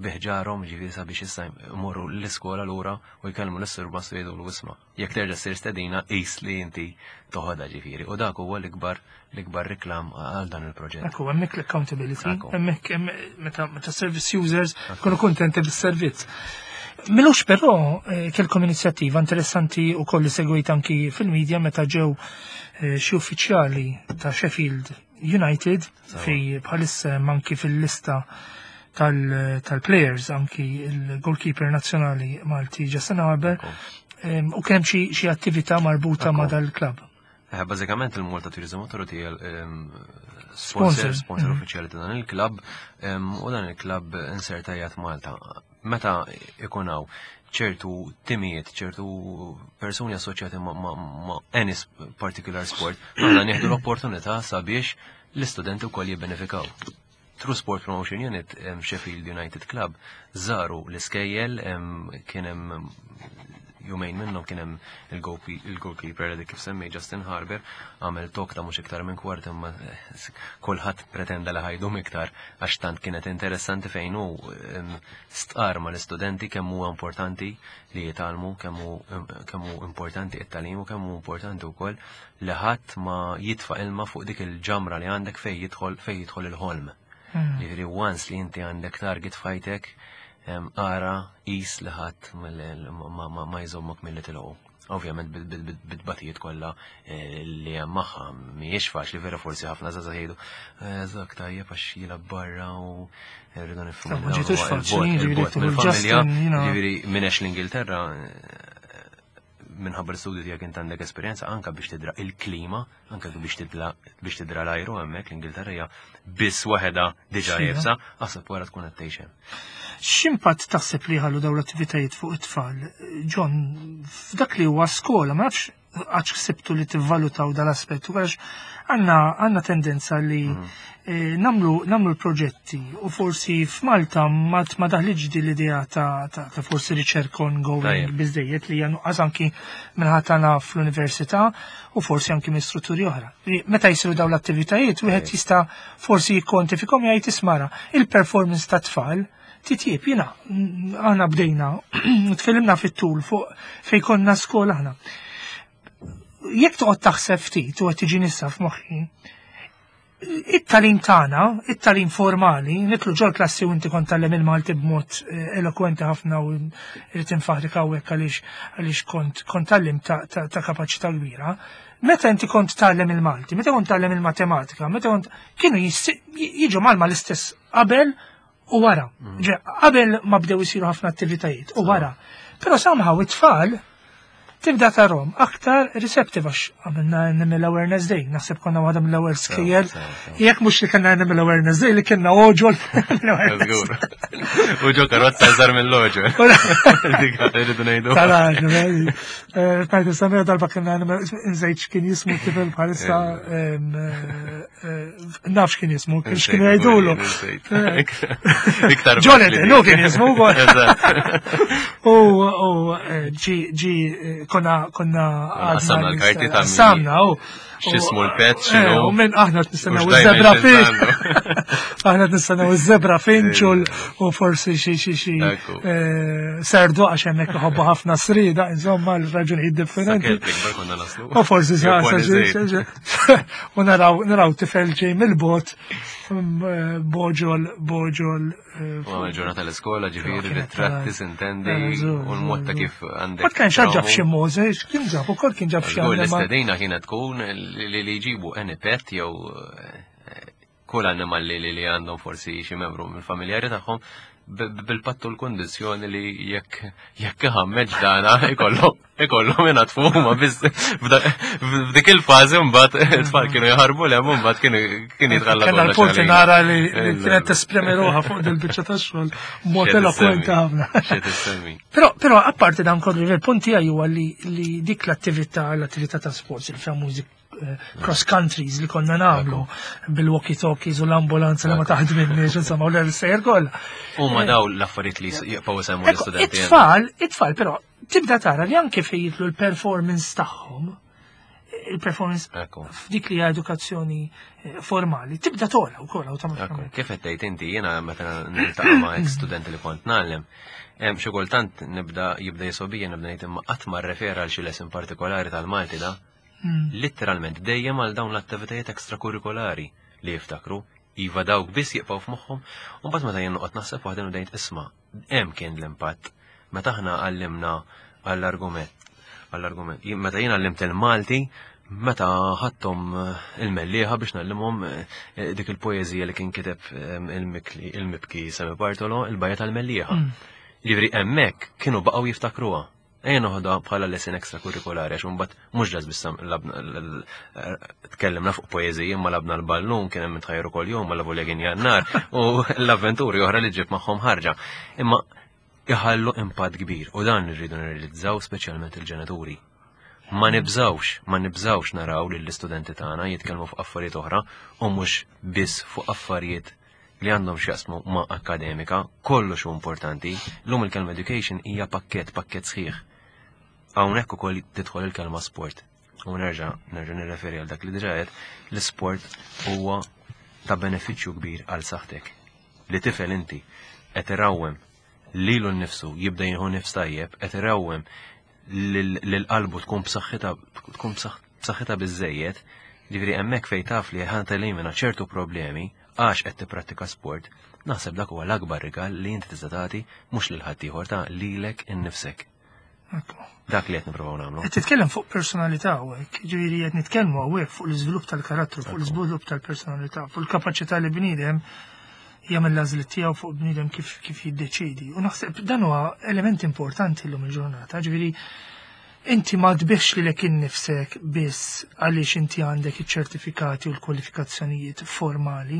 biħġarhom, ġifieri sabiex issa jmorru l-iskola lura u jkellmu l-surmast u jgħidu l-isma'. Jekk terġa' ssir stedina, qis li inti toħodha, ġifieri. U dak huwa l-ikbar l-ikbar reklam għal dan il-proġett. Ekku, hemmhekk l-accountability, Ekku. hemmhekk hemm- meta meta service users kunu kontenti bis-servizz. M'ilux però eh, kellkom inizjattiva interessanti u kolli segwejt anki fil-medja meta ġew eh, xi uffiċjali ta' Sheffield United, fej bħalissa hemm anki fil-lista tal- tal-players anki il-goalkeeper nazzjonali Malti Justin Harbour em, u kemm xi xi attività marbuta ma' dal-klabb. Eh, Bażikament il-Malta Tourism Authority hija ehm, Sponsor. sponsor, sponsor Mhm. uffiċjali ta' dan il-klabb ehm, u dan il-klabb insertajat Malta. Meta ikun hawn ċertu timijiet, ċertu persuni assoċjati ma', ma, ma any sp- particular sport, aħna nieħdu l-opportunità sabiex l-istudenti wkoll jibbenefikaw. Through Sport Promotion Unit, em, Sheffield United Club żaru l-iskejjel, em, kien hemm Jumejn minnhom kien hemm il-goalkeeper li kif semmej Justin Harbour għamel talk ta' mhux iktar minn kwart, imma eh, kulħadd pretenda li ħa jdum iktar għax tant kienet interessanti, fejn hu stqar ma l-istudenti kemm huwa importanti li jitgħallmu, kemm hu importanti it-tagħlim u kemm hu importanti wkoll li ħadd ma jitfa' ilma fuq dik il-ġamra li għandek fejn jidħol fejn jidħol il-ħolm. Hmm. Jiġifieri once li inti għandek target f'ħajtek, ara is li ħadd ma jżommok milli tilħqu. Ovvjament bit-tbatijiet kollha eh, li hemm magħha, mhijiex faċli vera. Forsi ħafna żgħażagħ jgħidu eh, żak tajjeb għax jilgħab barra u rridu nifhmu. Ma ġietux faċli, mill-familja, ġifieri minn l-Ingilterra eh, minħabba l-studju tiegħek int għandek esperjenza anka biex tidra il-klima, anka biex tidla biex tidra l-ajru hemmhekk. L-Ingilterra hija biss waħedha diġà iebsa, aħseb wara tkun qed tgħix hemm. X'impatt taħseb li ħallu dawn l-attivitajiet fuq it-tfal? John, f'dak li huwa skola, ma nafx għax ksibtu li tivvalutaw dal-aspettu, għax għandna għandna tendenza li mm. eh, nagħmlu nagħmlu l-proġetti u forsi f'Malta ma ma daħliġ di l-idea ta', ta, ta forsi riċerka ongoing biżejjed li hija nuqqas anki minħatana fl-università u forsi anki minn strutturi oħra. Meta jisiru dawn l-attivitajiet, wieħed jista' forsi jikkontifikom, jgħid, "Isma', il-performance ta' tfal titjieb." Jiena aħna bdejna tkellimna fit-tul fuq fej konna skola aħna. Jekk toqgħod taħseb ftit u qed tiġi nissa f'moħħi, it-tagħlim tagħna, it-tagħlim formali, nidħlu ġol klassi u inti kont tgħallem il-Malti b'mod eh, elokwenti ħafna u rrid infaħrik hawnhekk għaliex għaliex kont kont tgħallem ta', ta, ta kapaċità kbira. Meta inti kont tgħallem il-Malti, meta kont tgħallem il-matematika, meta kont kienu jiġu malma l-istess qabel u wara. Mm. Qabel ma bdew isiru ħafna attivitajiet u wara. Però somehow it-tfal tibda tarahom aktar receptive għax għamilna Animal Awareness Day, naħseb konna waħda mill-ewwel skejjel. Jekk mhux li kellna Animal Awareness Day, li kellna oġol. U ġo karozza żgħar mill-oġol. Dik irridu ngħidu. Tara, tajt samija darba kellna Animal, nżejt x'kien jismu tifel bħalissa, em, eh, eh, naf x'kien jismu, kien x'kienu jgħidulu. Iktar Jonathan, hu kien jismu wkoll. Eżatt. U u eh, ġi ġi eh, konna konna Qassamna l-karti ta' min- Qassamna, u. X'ismu l-pet, Eh, x'inhu. U minn aħna qed nistennew U x'dajma iż-zebra finch. x'għandu. Aħna qed nistennew iż-zebra finch u l- u forsi xi xi xi Ekku. eh, serdu għax hemmhekk iħobbu ħafna srida, insomma, l-raġunijiet differenti. Sa kelb ikbar konna naslu. U forsi sa Jew sa pony xi- żejt. xi- u naraw naraw tifel ġej mill-bot mm, eh, boġol boġol eh, U għamel ġurnata l-iskola, ġifieri, Kienet ritratti, ta' sintendi, Eh, żgur, u l-mod ta' żgur. kif għandek. Ma kienx ġab traumu. xi Mose, kien ġab ukoll kien ġab xi Żgur, anima. l-istedina kienet tkun li li jġibu any pet jew eh, kull annimal li li li għandhom forsi xi membru mill-familjari tagħhom b- b- bil-pattu l-kondizzjoni li jekk jekk iħammeġ dana ikollhom ikollhom ingħatfu huma biss. f'da- f'dik il-fażi mbagħad it-tfal kienu jaħarbu lem u mbagħad kienu kien jitħalla Kena kollox l-punti għalina. nara li li Il- kienet tesprimi ruħha fuq dil-biċċa ta' xogħol mod X'qed elokwenti issemmi? ħafna. X'qed issemmi? Però, però apparti dan kollu, il-punt tiegħi huwa li, li dik l-attività, l-attività ta' sports, il-famużi eh, cross countries li konna nagħmlu bil-walkie-talkies u l-ambulanza li ma taħdminniex, insomma, u l-sejjer kollha. Huma daw l-affarijiet li jibqgħu isemmu Ecco, l-istudenti. It-tfal, it-tfal, però tibda tara li anke fejn jidħlu l-performance tagħhom, il-performance Ekku. f'dik li hija edukazzjoni eh, formali, tibda tola wkoll Ekku, awtomatikament. kif qed tgħid inti, jiena meta niltaqa' ma' ex studenti li kont ngħallem, hemm xi kultant nibda jibda jisobija, nibda ngħid, imma qatt ma rrefera għal xi lesson partikolari tal-Malti da. Mm. Literalment dejjem għal dawn l-attivitajiet ekstrakurrikolari li jiftakru, iva, dawk biss jibqgħu f'moħħhom, u mbagħad meta jien noqgħod naħseb waħda ngħid, isma', hemm kien l-impatt. Meta aħna għallimna għall-argument, għall-argument, jien- meta jien għallimt il-Malti, meta ħadthom eh, il-Mellieħa biex ngħallimhom eh, dik il-poeżija li kien kiteb eh, il-Mikli- il-Mibki Sammy Bartolo, il-Bajja tal-Mellieħa. Mm. Ġifieri hemmhekk kienu baqgħu jiftakruha. Ejja noħodha bħala lesson ekstrakurrikolari għax imbagħad mhux ġas biss labna l- l- tkellimna fuq poeżiji, imma labna l-ballun, kien hemm tħajru kuljum ma lavu kien jannar u l-avventuri oħra li ġib magħhom ħarġa. Imma iħallu impatt kbir u dan irridu nirrealizzaw, speċjalment il-ġenituri. Ma nibżawx, ma nibżawx naraw lill istudenti tagħna jitkellmu fuq affarijiet oħra u mhux biss fuq affarijiet li għandhom x'jaqsmu ma' akademika, kollox hu importanti. Llum il-kelma education hija pakket, pakket sħiħ. Hawnhekk ukoll tidħol il-kelma sport. U nerġa' nerġa' nirreferi għal dak li diġà għedt, l-sport huwa ta' benefiċċju kbir għal saħħtek. Li tifel inti qed irawwem lilu nnifsu jibda jieħu nifs tajjeb, qed irawwem lil qalbu tkun b'saħħitha tkun b'saħħitha biżejjed, ġifieri hemmhekk fejn taf li ħa telimina ċertu problemi għax qed tipprattika sport, naħseb dak huwa l-akbar rigal li inti tista' tagħti mhux lil ħaddieħor ta' lilek innifsek. Dak li qed nippruvaw nagħmlu. Qed titkellem fuq personalità hawnhekk, ġifieri qed nitkellmu hawnhekk fuq l-iżvilupp tal-karattru, fuq l-iżvilupp tal-personalità, fuq il-kapaċità li bniedem jagħmel l-għażliet tiegħu fuq bniedem kif kif jiddeċidi. U naħseb dan huwa element importanti llum il-ġurnata, ġifieri inti ma tbigħx lilek innifsek biss għaliex inti għandek iċ-ċertifikati u l-kwalifikazzjonijiet formali,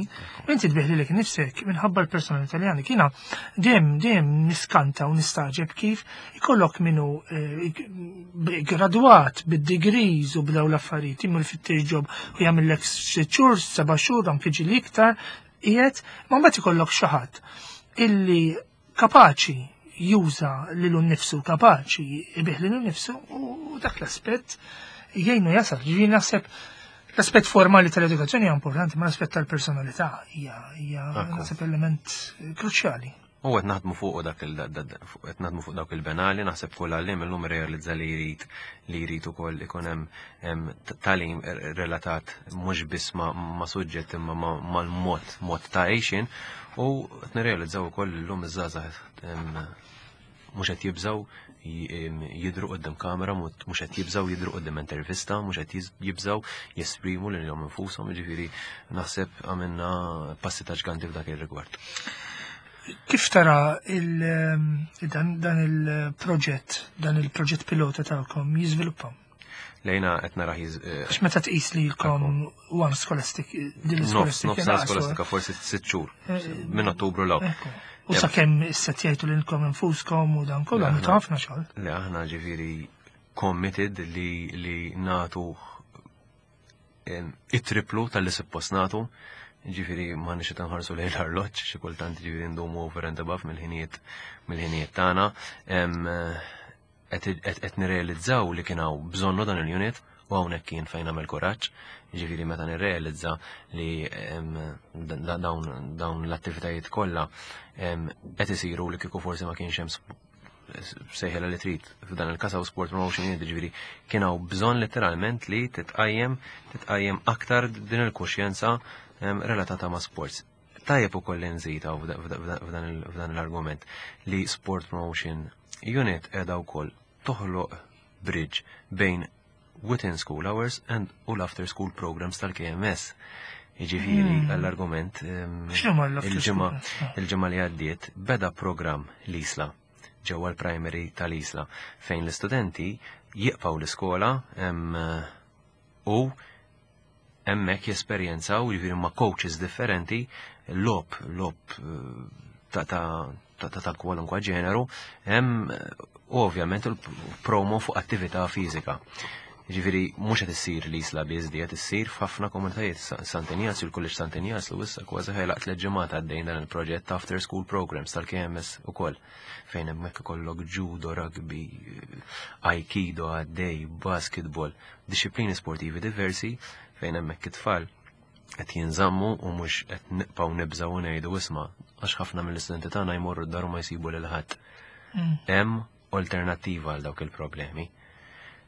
inti tbigħ lilek innifsek minħabba l-personalità li għandek. Jiena dejjem dejjem niskanta u nistagħġeb kif ikollok minnu eh, gradwat bid-degrees u b'daw l-affarijiet, imur ifittex job u jagħmellek sitt xhur, seba' xhur, anke ġieli iktar, qiegħed, ma mbagħad ikollok xi ħadd illi kapaċi juża lilu nnifsu, kapaċi ibigħ lilu nnifsu u dak l-aspett jgħinu jasal. Ġifieri naħseb l-aspett formali tal-edukazzjoni hija importanti, ma l-aspett tal-personalità hija hija naħseb element kruċjali. U qed naħdmu fuq dak il qed naħdmu fuq dawk il-benali, naħseb kull għalliem illum realizza li jrid li jrid ukoll ikun hemm tagħlim relatat mhux biss ma' suġġett imma mal-mod mod ta' għejxin u qed nirrealizzaw ukoll illum iż-żgħażagħ mhux qed jibżgħu jidhru quddiem kamera, mhux qed jibżgħu jidhru quddiem intervista, mhux qed jibżgħu jesprimu lilhom infushom, jiġifieri naħseb għamilna passi ta' ġganti f'dak ir-rigward. Kif tara il, dan, dan il-proġett, dan il-proġett pilota tagħkom jiżviluppa? Lejna qed nara jiż- Għax meta tqis li lkom one scholastic, din Nofs, l-scholastic nofs sena skolastika, forsi sitt xhur, minn Ottubru 'l hawn. Ekku. U sakemm issettjajtu lilkom infuskom u dan kollu, għamiltu ħafna xogħol. Le, aħna ġifieri committed li li nagħtu em, it-triplu tal-li suppost nagħtu. Ġifieri ma nix nħarsu lejn l-arloġġ, xi kultant ġifieri ndumu over and above mill-ħinijiet mill-ħinijiet tagħna. Em, Qed qed nirrealizzaw li kien hawn bżonnu dan il-unit u hawnhekk kien fejn nagħmel kuraġġ. Ġifieri meta nirrealizza li em, da- dawn dawn l-attivitajiet kollha em, qed isiru li kieku forsi ma kienx hemm sp- sejħela li trid f'dan il-każ hawn sport promotion unit, ġifieri kien hawn bżonn letteralment li titqajjem titqajjem aktar din il-kuxjenza em, relatata ma' sports. Tajjeb ukoll li nżid hawn f'da- f'da- f'dan il- f'dan l-argument li sport promotion unit qiegħda wkoll toħloq bridge bejn within school hours and u l-after school programs tal-K M S. Jiġifieri għall-argument em, X'inhuma l-after school il-ġimgħa programs? il-ġimgħa li għaddiet beda program l-Isla ġewwa l-primary tal-Isla fejn l-istudenti jibqgħu l-iskola em, u hemmhekk jesperjenzaw jiġifieri ma' coaches differenti logħob logħob eh, ta' ta' ta' ta' ta' kwalunkwa ġeneru hemm eh, u ovvjament il-promo fuq attività fiżika. Ġifieri mhux qed issir l-Isla biss di, qed issir f'ħafna komunitajiet. Sant'Injazju, il-Kulleġġ Sant'Injazju issa kważi ħa jagħlaq tliet ġimgħat għaddejn dan il-proġett after school programs tal-K M S ukoll fejn hemmhekk ikollok judo, rugby, aikido għaddej, basketball, disciplini sportivi diversi fejn hemmhekk it-tfal qed jinżammu u mhux qed nibqgħu nibżgħu u ngħidu isma' għax ħafna mill-istudenti tagħna jmorru d-dar u ma jsibu lil ħadd. Hemm alternattiva għal dawk il-problemi.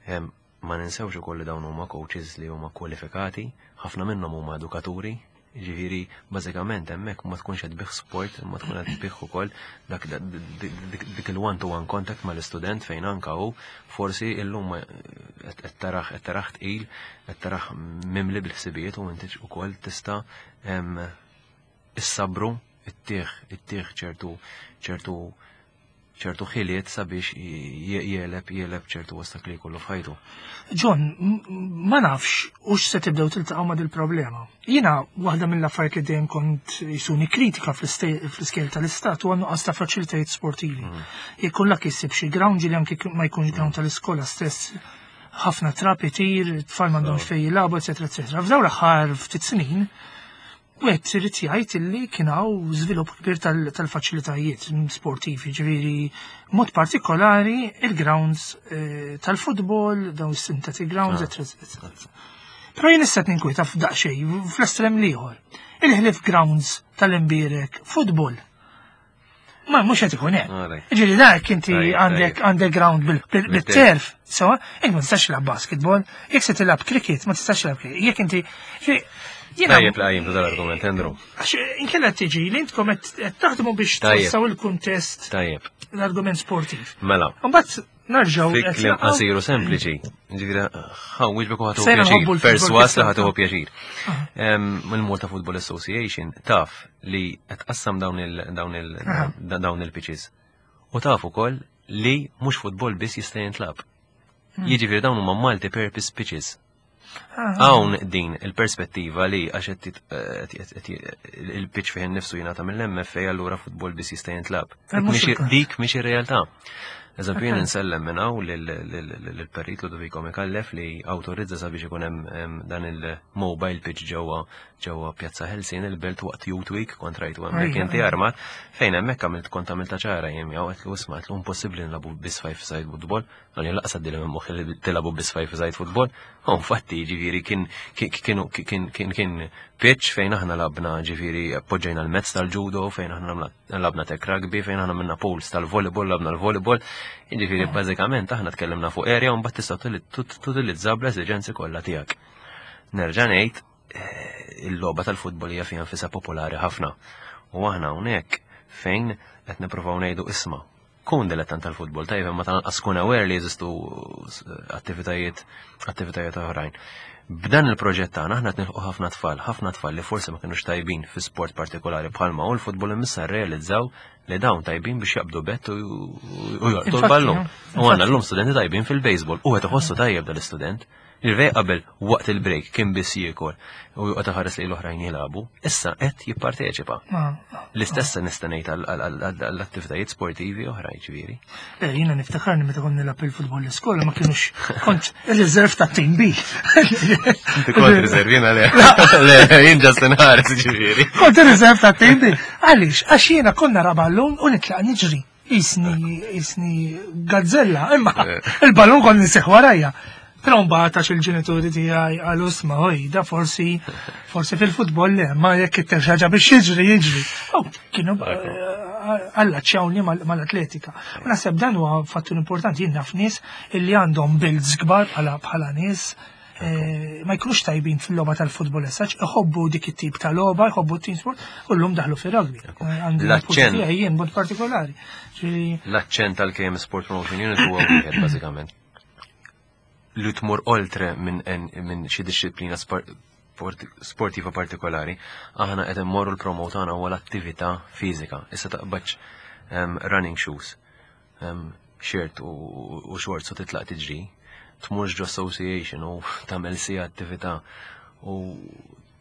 Hemm ma ninsewx ukoll li dawn huma coaches li huma kwalifikati, ħafna minnhom huma edukaturi, ġifieri bażikament hemmhekk ma tkunx qed tbigħ sport, ma tkun qed tbigħ ukoll dak dik il-one to one contact mal-istudent fejn anka hu forsi illum qed tarah qed tarah tqil, qed tarah mimli bil-ħsibijiet u inti ukoll tista' issabru ittih ittih ċertu ċertu ċertu ħiliet sabiex jegħleb jegħleb ċertu ostakli kollu f'ħajtu. John, ma nafx u se tibdew tiltaqgħu ma' dil-problema. Jiena waħda mill-affarijiet li dejjem kont jisuni kritika fl-iskejjel tal-istat huwa nuqqas ta' faċilitajiet sportivi. Mm. Jekk lak issib xi ground li anke ma jkunx ground tal-iskola stess ħafna trab itir, tfal m'għandhomx fejn jilagħbu, eċetera, eċetera. F'dawn l-aħħar ftit snin, Wieħed irid jgħid illi kien hawn żvilupp kbir tal-faċilitajiet sportivi, ġifieri mod partikolari il-grounds eh, tal-futbol, dawn is-synthetic grounds, eccetera. Però jien issa ninkwieta f'daqsxejn fl-estrem l-ieħor. Il-ħlif grounds tal-imbierek futbol. Ma mhux qed ikun hekk. Ġifieri dak inti għandek għandek ground bil-turf, sewa, inti ma tistax tilgħab basketball, jekk se tilgħab cricket ma tistax tilgħab cricket. Jekk inti Tajjeb li qajjimt dal-argument, Andrew. Għax inkella tiġi li intkom qed taħdmu biex twessaw il-kuntest. Tajjeb. L-argument sportiv. Mela. Mbagħad nerġgħu. Fi kliem qasir u sempliċi. Ġifieri ħa nwieġbek u ħa tieħu pjaċir. Perswas li ħa tieħu pjaċir. Mill-Malta Football Association taf li qed tqassam dawn il dawn il dawn il-pitches. U taf ukoll li mhux futbol biss jista' jintlab. Jiġifieri dawn huma multi-purpose pitches. Hawn din il-perspettiva li għax il-pitch fih nifsu jingħata mill-M F A, allura futbol biss jista' jintlab. Dik mhix ir-realtà. Eżempju, jien insellem minn hawn lill-Perit Ludovico Micallef li awtorizza sabiex ikun hemm dan il-mobile pitch ġewwa ġewwa Pjazza Ħelsien il-Belt waqt Youth Week, kont rajtu hemmhekk inti armat, fejn hemmhekk għamilt kont għamilta ċara jien jew għedtlu, "Isma'," għedtlu, "impossibbli nilagħbu biss five side football." Għani laqsa dilli minn moħħi li tilagħbu biss five side football. U infatti ġifieri kien kienu kien kien kien pitch fejn aħna lgħabna, ġifieri poġġejna l-mats tal-judo, fejn aħna lgħabna tag rugby, fejn aħna minna pools tal-volleyball, lgħabna l-volleyball. Ġifieri bażikament aħna tkellimna fuq area u mbagħad tista' tutilizza bl-esiġenzi kollha tiegħek. Nerġa' ngħid, eh, il-logħba tal-futbol hija fiha nfisha popolari ħafna. U aħna hawnhekk fejn qed nippruvaw ngħidu, "Isma', kun dilettant tal-futbol, tajjeb, ma tal-anqas kun aware li jeżistu attivitajiet attivitajiet oħrajn." B'dan il-proġett tagħna aħna qed nilħqu ħafna tfal, ħafna tfal li forsi ma kinux tajbin fi sport partikolari bħalma u l-futbol, imissa rrealizzaw li dawn tajbin biex jaqbdu bat u jolqtu l-ballun. U għandna llum studenti tajbin fil-baseball u qed iħossu tajjeb dal-istudent. Il-vej qabel waqt il-break kien biss jiekol u joqgħod iħares li l-oħrajn jilagħbu, issa qed jipparteċipa. L-istess nista' ngħid għall-attivitajiet sportivi oħra, ġifieri. Eh, jiena niftakarni meta kont nilgħab il-futbol l-iskola, ma kienux, kont il-reserve ta' team B. Inti kont reserve, jiena le. Le, jien just inħares, ġifieri. Kont il-reserve ta' team B. Għaliex? Għax jiena konna nara ballun u nitlaq niġri. Isni, isni gazzella, imma il-ballun kont nseħ warajja. Però mbagħad għax il-ġenituri tiegħi qalu, "Isma' oj, da forsi forsi fil-futbol le, ma jekk itteħ ħaġa biex jiġri jiġri." U kienu allaċċjawni mal-atletika. U naħseb dan huwa fattur importanti. Jien naf nies illi għandhom builds kbar bħala bħala nies eh, ma jkunux tajbin fil-logħba tal-futbol essaċ, iħobbu dik it-tip ta' logħba, jħobbu team sport, u llum daħlu fir-rugby. Għandi L-aċċent. tiegħi jien mod partikolari. Ġifieri, L-aċċent tal-K M Sport Promotion Unit huwa wieħed bażikament. Li tmur oltre minn minn xi disċiplina sport- sportiva partikolari, aħna qed immorru l-promote tagħna huwa l-attività fiżika. Issa taqbadx em, running shoes, em, shirt u, u shorts u titlaq tiġri, tmurx ġo association u tagħmel sija attività u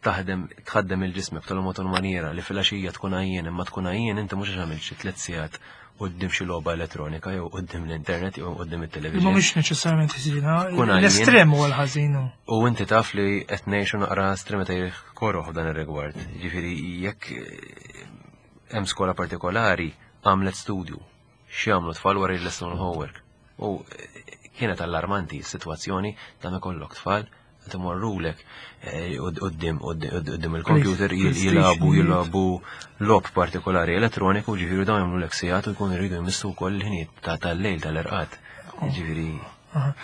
taħdem tħaddem il-ġismek b'tal mod maniera li fil-għaxija tkun għajjien, imma tkun għajjien inti mhux għax għamilt xi tliet sigħat quddiem xi logħba elettronika jew quddiem l-internet jew quddiem it-television. Ma mhux neċessarjament ħażina, Tkun għajjien. L-estrem huwa l-ħażin. U inti taf li qed ngħixu naqra estremitajiet koroh f'dan ir-rigward. Ġifieri jekk eh, hemm skola partikolari għamlet studju x'jagħmlu tfal wara jlestu l-homework. U eh, kienet allarmanti s-sitwazzjoni ta' ma jkollok tfal qed imorrulek eh, quddiem quddiem il-computer PlayStation. jilagħbu jilagħbu logħob partikolari elettroniku, ġifieri dawn jagħmlu lek sigħat u jkunu jridu jmissu wkoll il-ħinijiet ta' tal-lejl tal-irqad. Ġifieri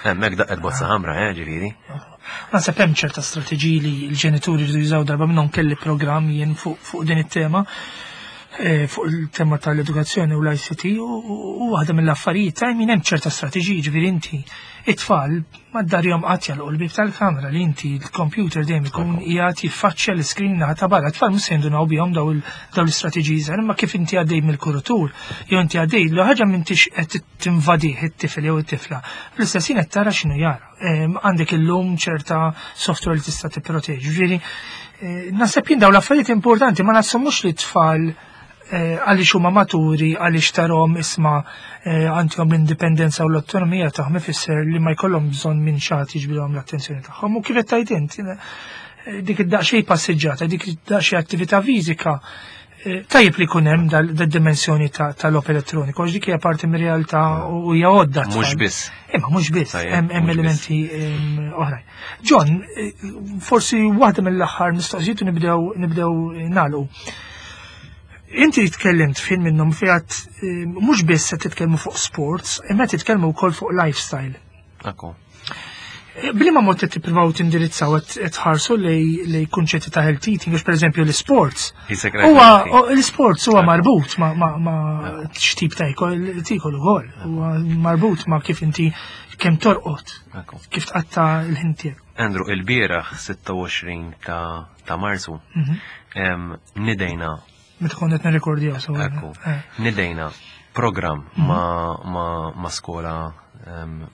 hemmhekk daqqet bozza ħamra, eh, ġifieri. Naħseb hemm ċerta strateġiji li l-ġenituri jridu jużaw. Darba minnhom kelli programm jien fuq fuq din it-tema, eh, fuq il-tema tal-edukazzjoni u l-I C T, u u waħda mill-affarijiet ta' min hemm ċerta strateġiji, ġifieri inti it-tfal mad-darjom qatt jagħlqu l-bib tal-kamra, li inti l-computer dejjem ikun qiegħed jiffaċċja l-iskrin naħa ta' barra. Tfal mhux se jindunaw bihom daw il- daw l-istrateġiji żgħar, imma kif inti għaddej mill-kuritur jew inti għaddej li ħaġa m'intix qed tinvadih it-tifel jew it-tifla. Fl-istess ħin qed tara x'inhu jara. Em, Għandek illum ċerta software li tista' tipproteġi. Ġifieri eh, naħseb jien dawn l-affarijiet importanti ma nassumux li t-tfal eh, għaliex huma maturi, għaliex tarhom isma' eh, għandhom l-indipendenza u l-autonomija tagħhom, ifisser li ma jkollhom bżonn minn xi ħadd jiġbidhom l-attenzjoni tagħhom. U kif qed tgħid int, Dik id-daqsxejn passiġġata, dik id-daqsxejn attività fiżika, tajjeb li jkun hemm dal-dimensjoni tal-logħob elettroniku, għax dik hija parti mir-realtà u hija għodda. Mhux biss. Imma mhux biss, hemm elementi oħrajn. John, forsi waħda mill-aħħar mistoqsijiet u nibdew nibdew nagħlqu. Inti tkellimt fin minnhom fiat mhux biss se titkellmu fuq sports, imma titkellmu wkoll fuq lifestyle. Ekku. B'liema mod qed tippruvaw tindirizzaw qed tħarsu lejn kunċetti ta' health eating, għax pereżempju l-sports. Huwa l-sports huwa marbut ma' ma' x'tip ta' tiekol ukoll, huwa marbut ma' kif inti kemm torqod, kif tqatta' l-ħin tiegħek. Andrew, il-bieraħ sitta u għoxrin ta' ta' Marzu nidejna Meta konna qed nirrekordjaw sewa. Ekku. Nidejna program ma' ma' ma' skola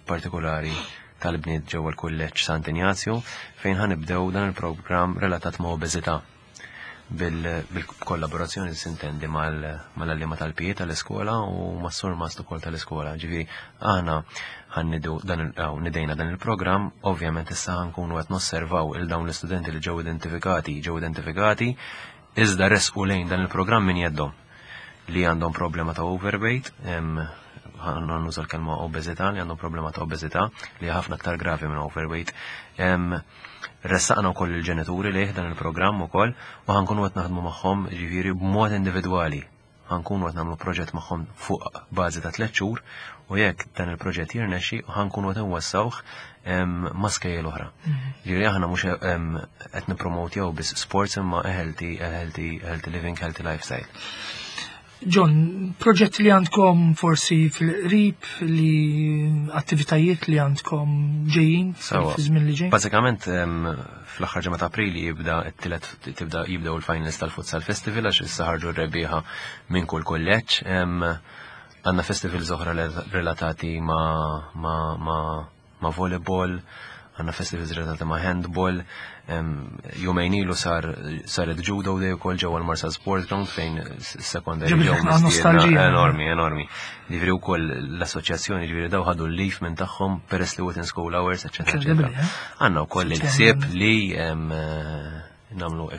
partikolari tal-bniet ġewwa l-kulleġġ Sant'Injazju, fejn ħa nibdew dan il-programm relatat ma' obeżità bil-kollaborazzjoni, sintendi, mal-għalliema tal-P E tal-iskola u mas-surmast ukoll tal-iskola. Ġifieri aħna ħa nniedu dan, nidejna dan il-programm, ovvjament issa ħa nkunu qed nosservaw il dawn l-istudenti li ġew identifikati, ġew identifikati, iżda resqu lejn dan il-programm minn jeddhom li għandhom problema ta' overweight, ħa nuża l-kelma obeżità, li għandhom problema ta' obeżità li ħafna aktar gravi minn overweight. Ressaqna wkoll il-ġenituri lejh dan il-programm ukoll u ħa nkunu qed naħdmu magħhom, ġifieri b'mod individwali. Ħa nkunu qed nagħmlu proġett magħhom fuq bażi ta' tliet xhur u jekk dan il-proġett jirnexxi, ħa nkunu qed nwessawh ma' skejjel oħra. Mhm. Ġifieri aħna mhux qed nippromotjaw biss sports, imma healthy, healthy, healthy living, healthy lifestyle. John, proġetti li għandkom forsi fil-qrib, li attivitajiet li għandkom ġejjin fi żmien li ġej? Bażikament fl-aħħar ġimgħa ta' April jibda t-tielet tibda jibdew il-finals tal-Futsal Festival, għax issa ħarġu r-rebbieħa minn kull kulleġġ. Għandna festivals oħra relatati ma' ma' ma' ma' volleyball, għandna festivals relatati ma' handball, jumejn ilu sar saret judo day ukoll ġewwa l-Marsa Sport Ground, fejn secondary ġew nostalġija. Enormi, enormi. Ġifieri wkoll l-assoċjazzjoni, ġifieri daw ħadu l-leave minn tagħhom peress li within school hours, eċetera, eċetera. Eh? Għandna wkoll il-ħsieb li nagħmlu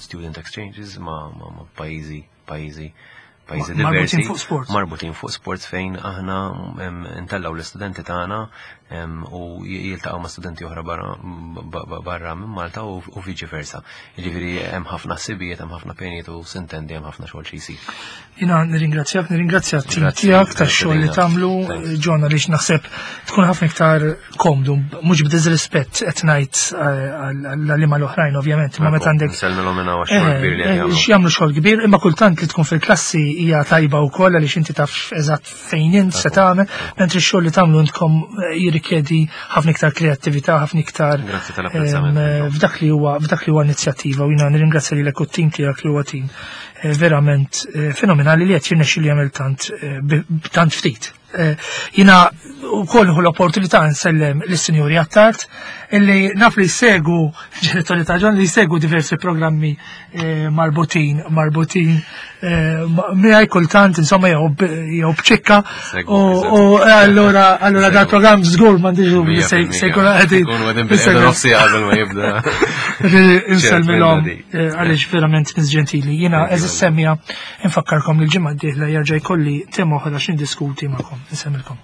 student exchanges ma' pajjiżi pajjiżi pajjiżi diversi. Marbutin fuq sports. Marbutin fuq sports, fejn aħna ntellaw l-istudenti tagħna u jiltaqgħu ma' studenti oħra barra minn Malta u viċi versa. Jiġifieri hemm ħafna ħsibijiet, hemm ħafna pjanijiet u, sintendi, hemm ħafna xogħol xi jsir. Jiena nirringrazzjak, nirringrazzja t-tim tiegħek tax-xogħol li tagħmlu, John, għaliex naħseb tkun ħafna iktar komdu, mhux b'diżrispett qed ngħid għall-għalliema l-oħrajn ovvjament, imma meta għandek. Nsellmilhom minn hawn xogħol kbir li jagħmlu. Jagħmlu xogħol kbir, imma kultant li tkun fil-klassi hija tajba wkoll, għaliex inti taf eżatt fejn int se tagħmel, mentri x-xogħol li tagħmlu intkom jirrikjedi ħafna iktar kreattività, ħafna iktar f'dak li huwa f'dak li huwa inizjattiva, u jiena nirringrazzja lilek u t-tim tiegħek, li huwa tim verament fenomenali li qed jirnexxi li jagħmel tant tant ftit. Jiena wkoll hu l-opportunità nsellem lis-Sinjuri Attard, illi naf li jsegu, ġenitori ta' John, li jsegu diversi programmi marbutin marbutin miegħi kultant, insomma, jew b'ċikka, u allura allura dal-programm żgur m'għandix dubju se jkun qegħdin qabel ma jibda. Insellmilhom għaliex verament nies ġentili. Jiena, għeżież semmiegħa, infakkarkom li l-ġimgħa d-dieħla jerġa' jkolli tema oħra x'indiskuti magħkom. Insellmilkom.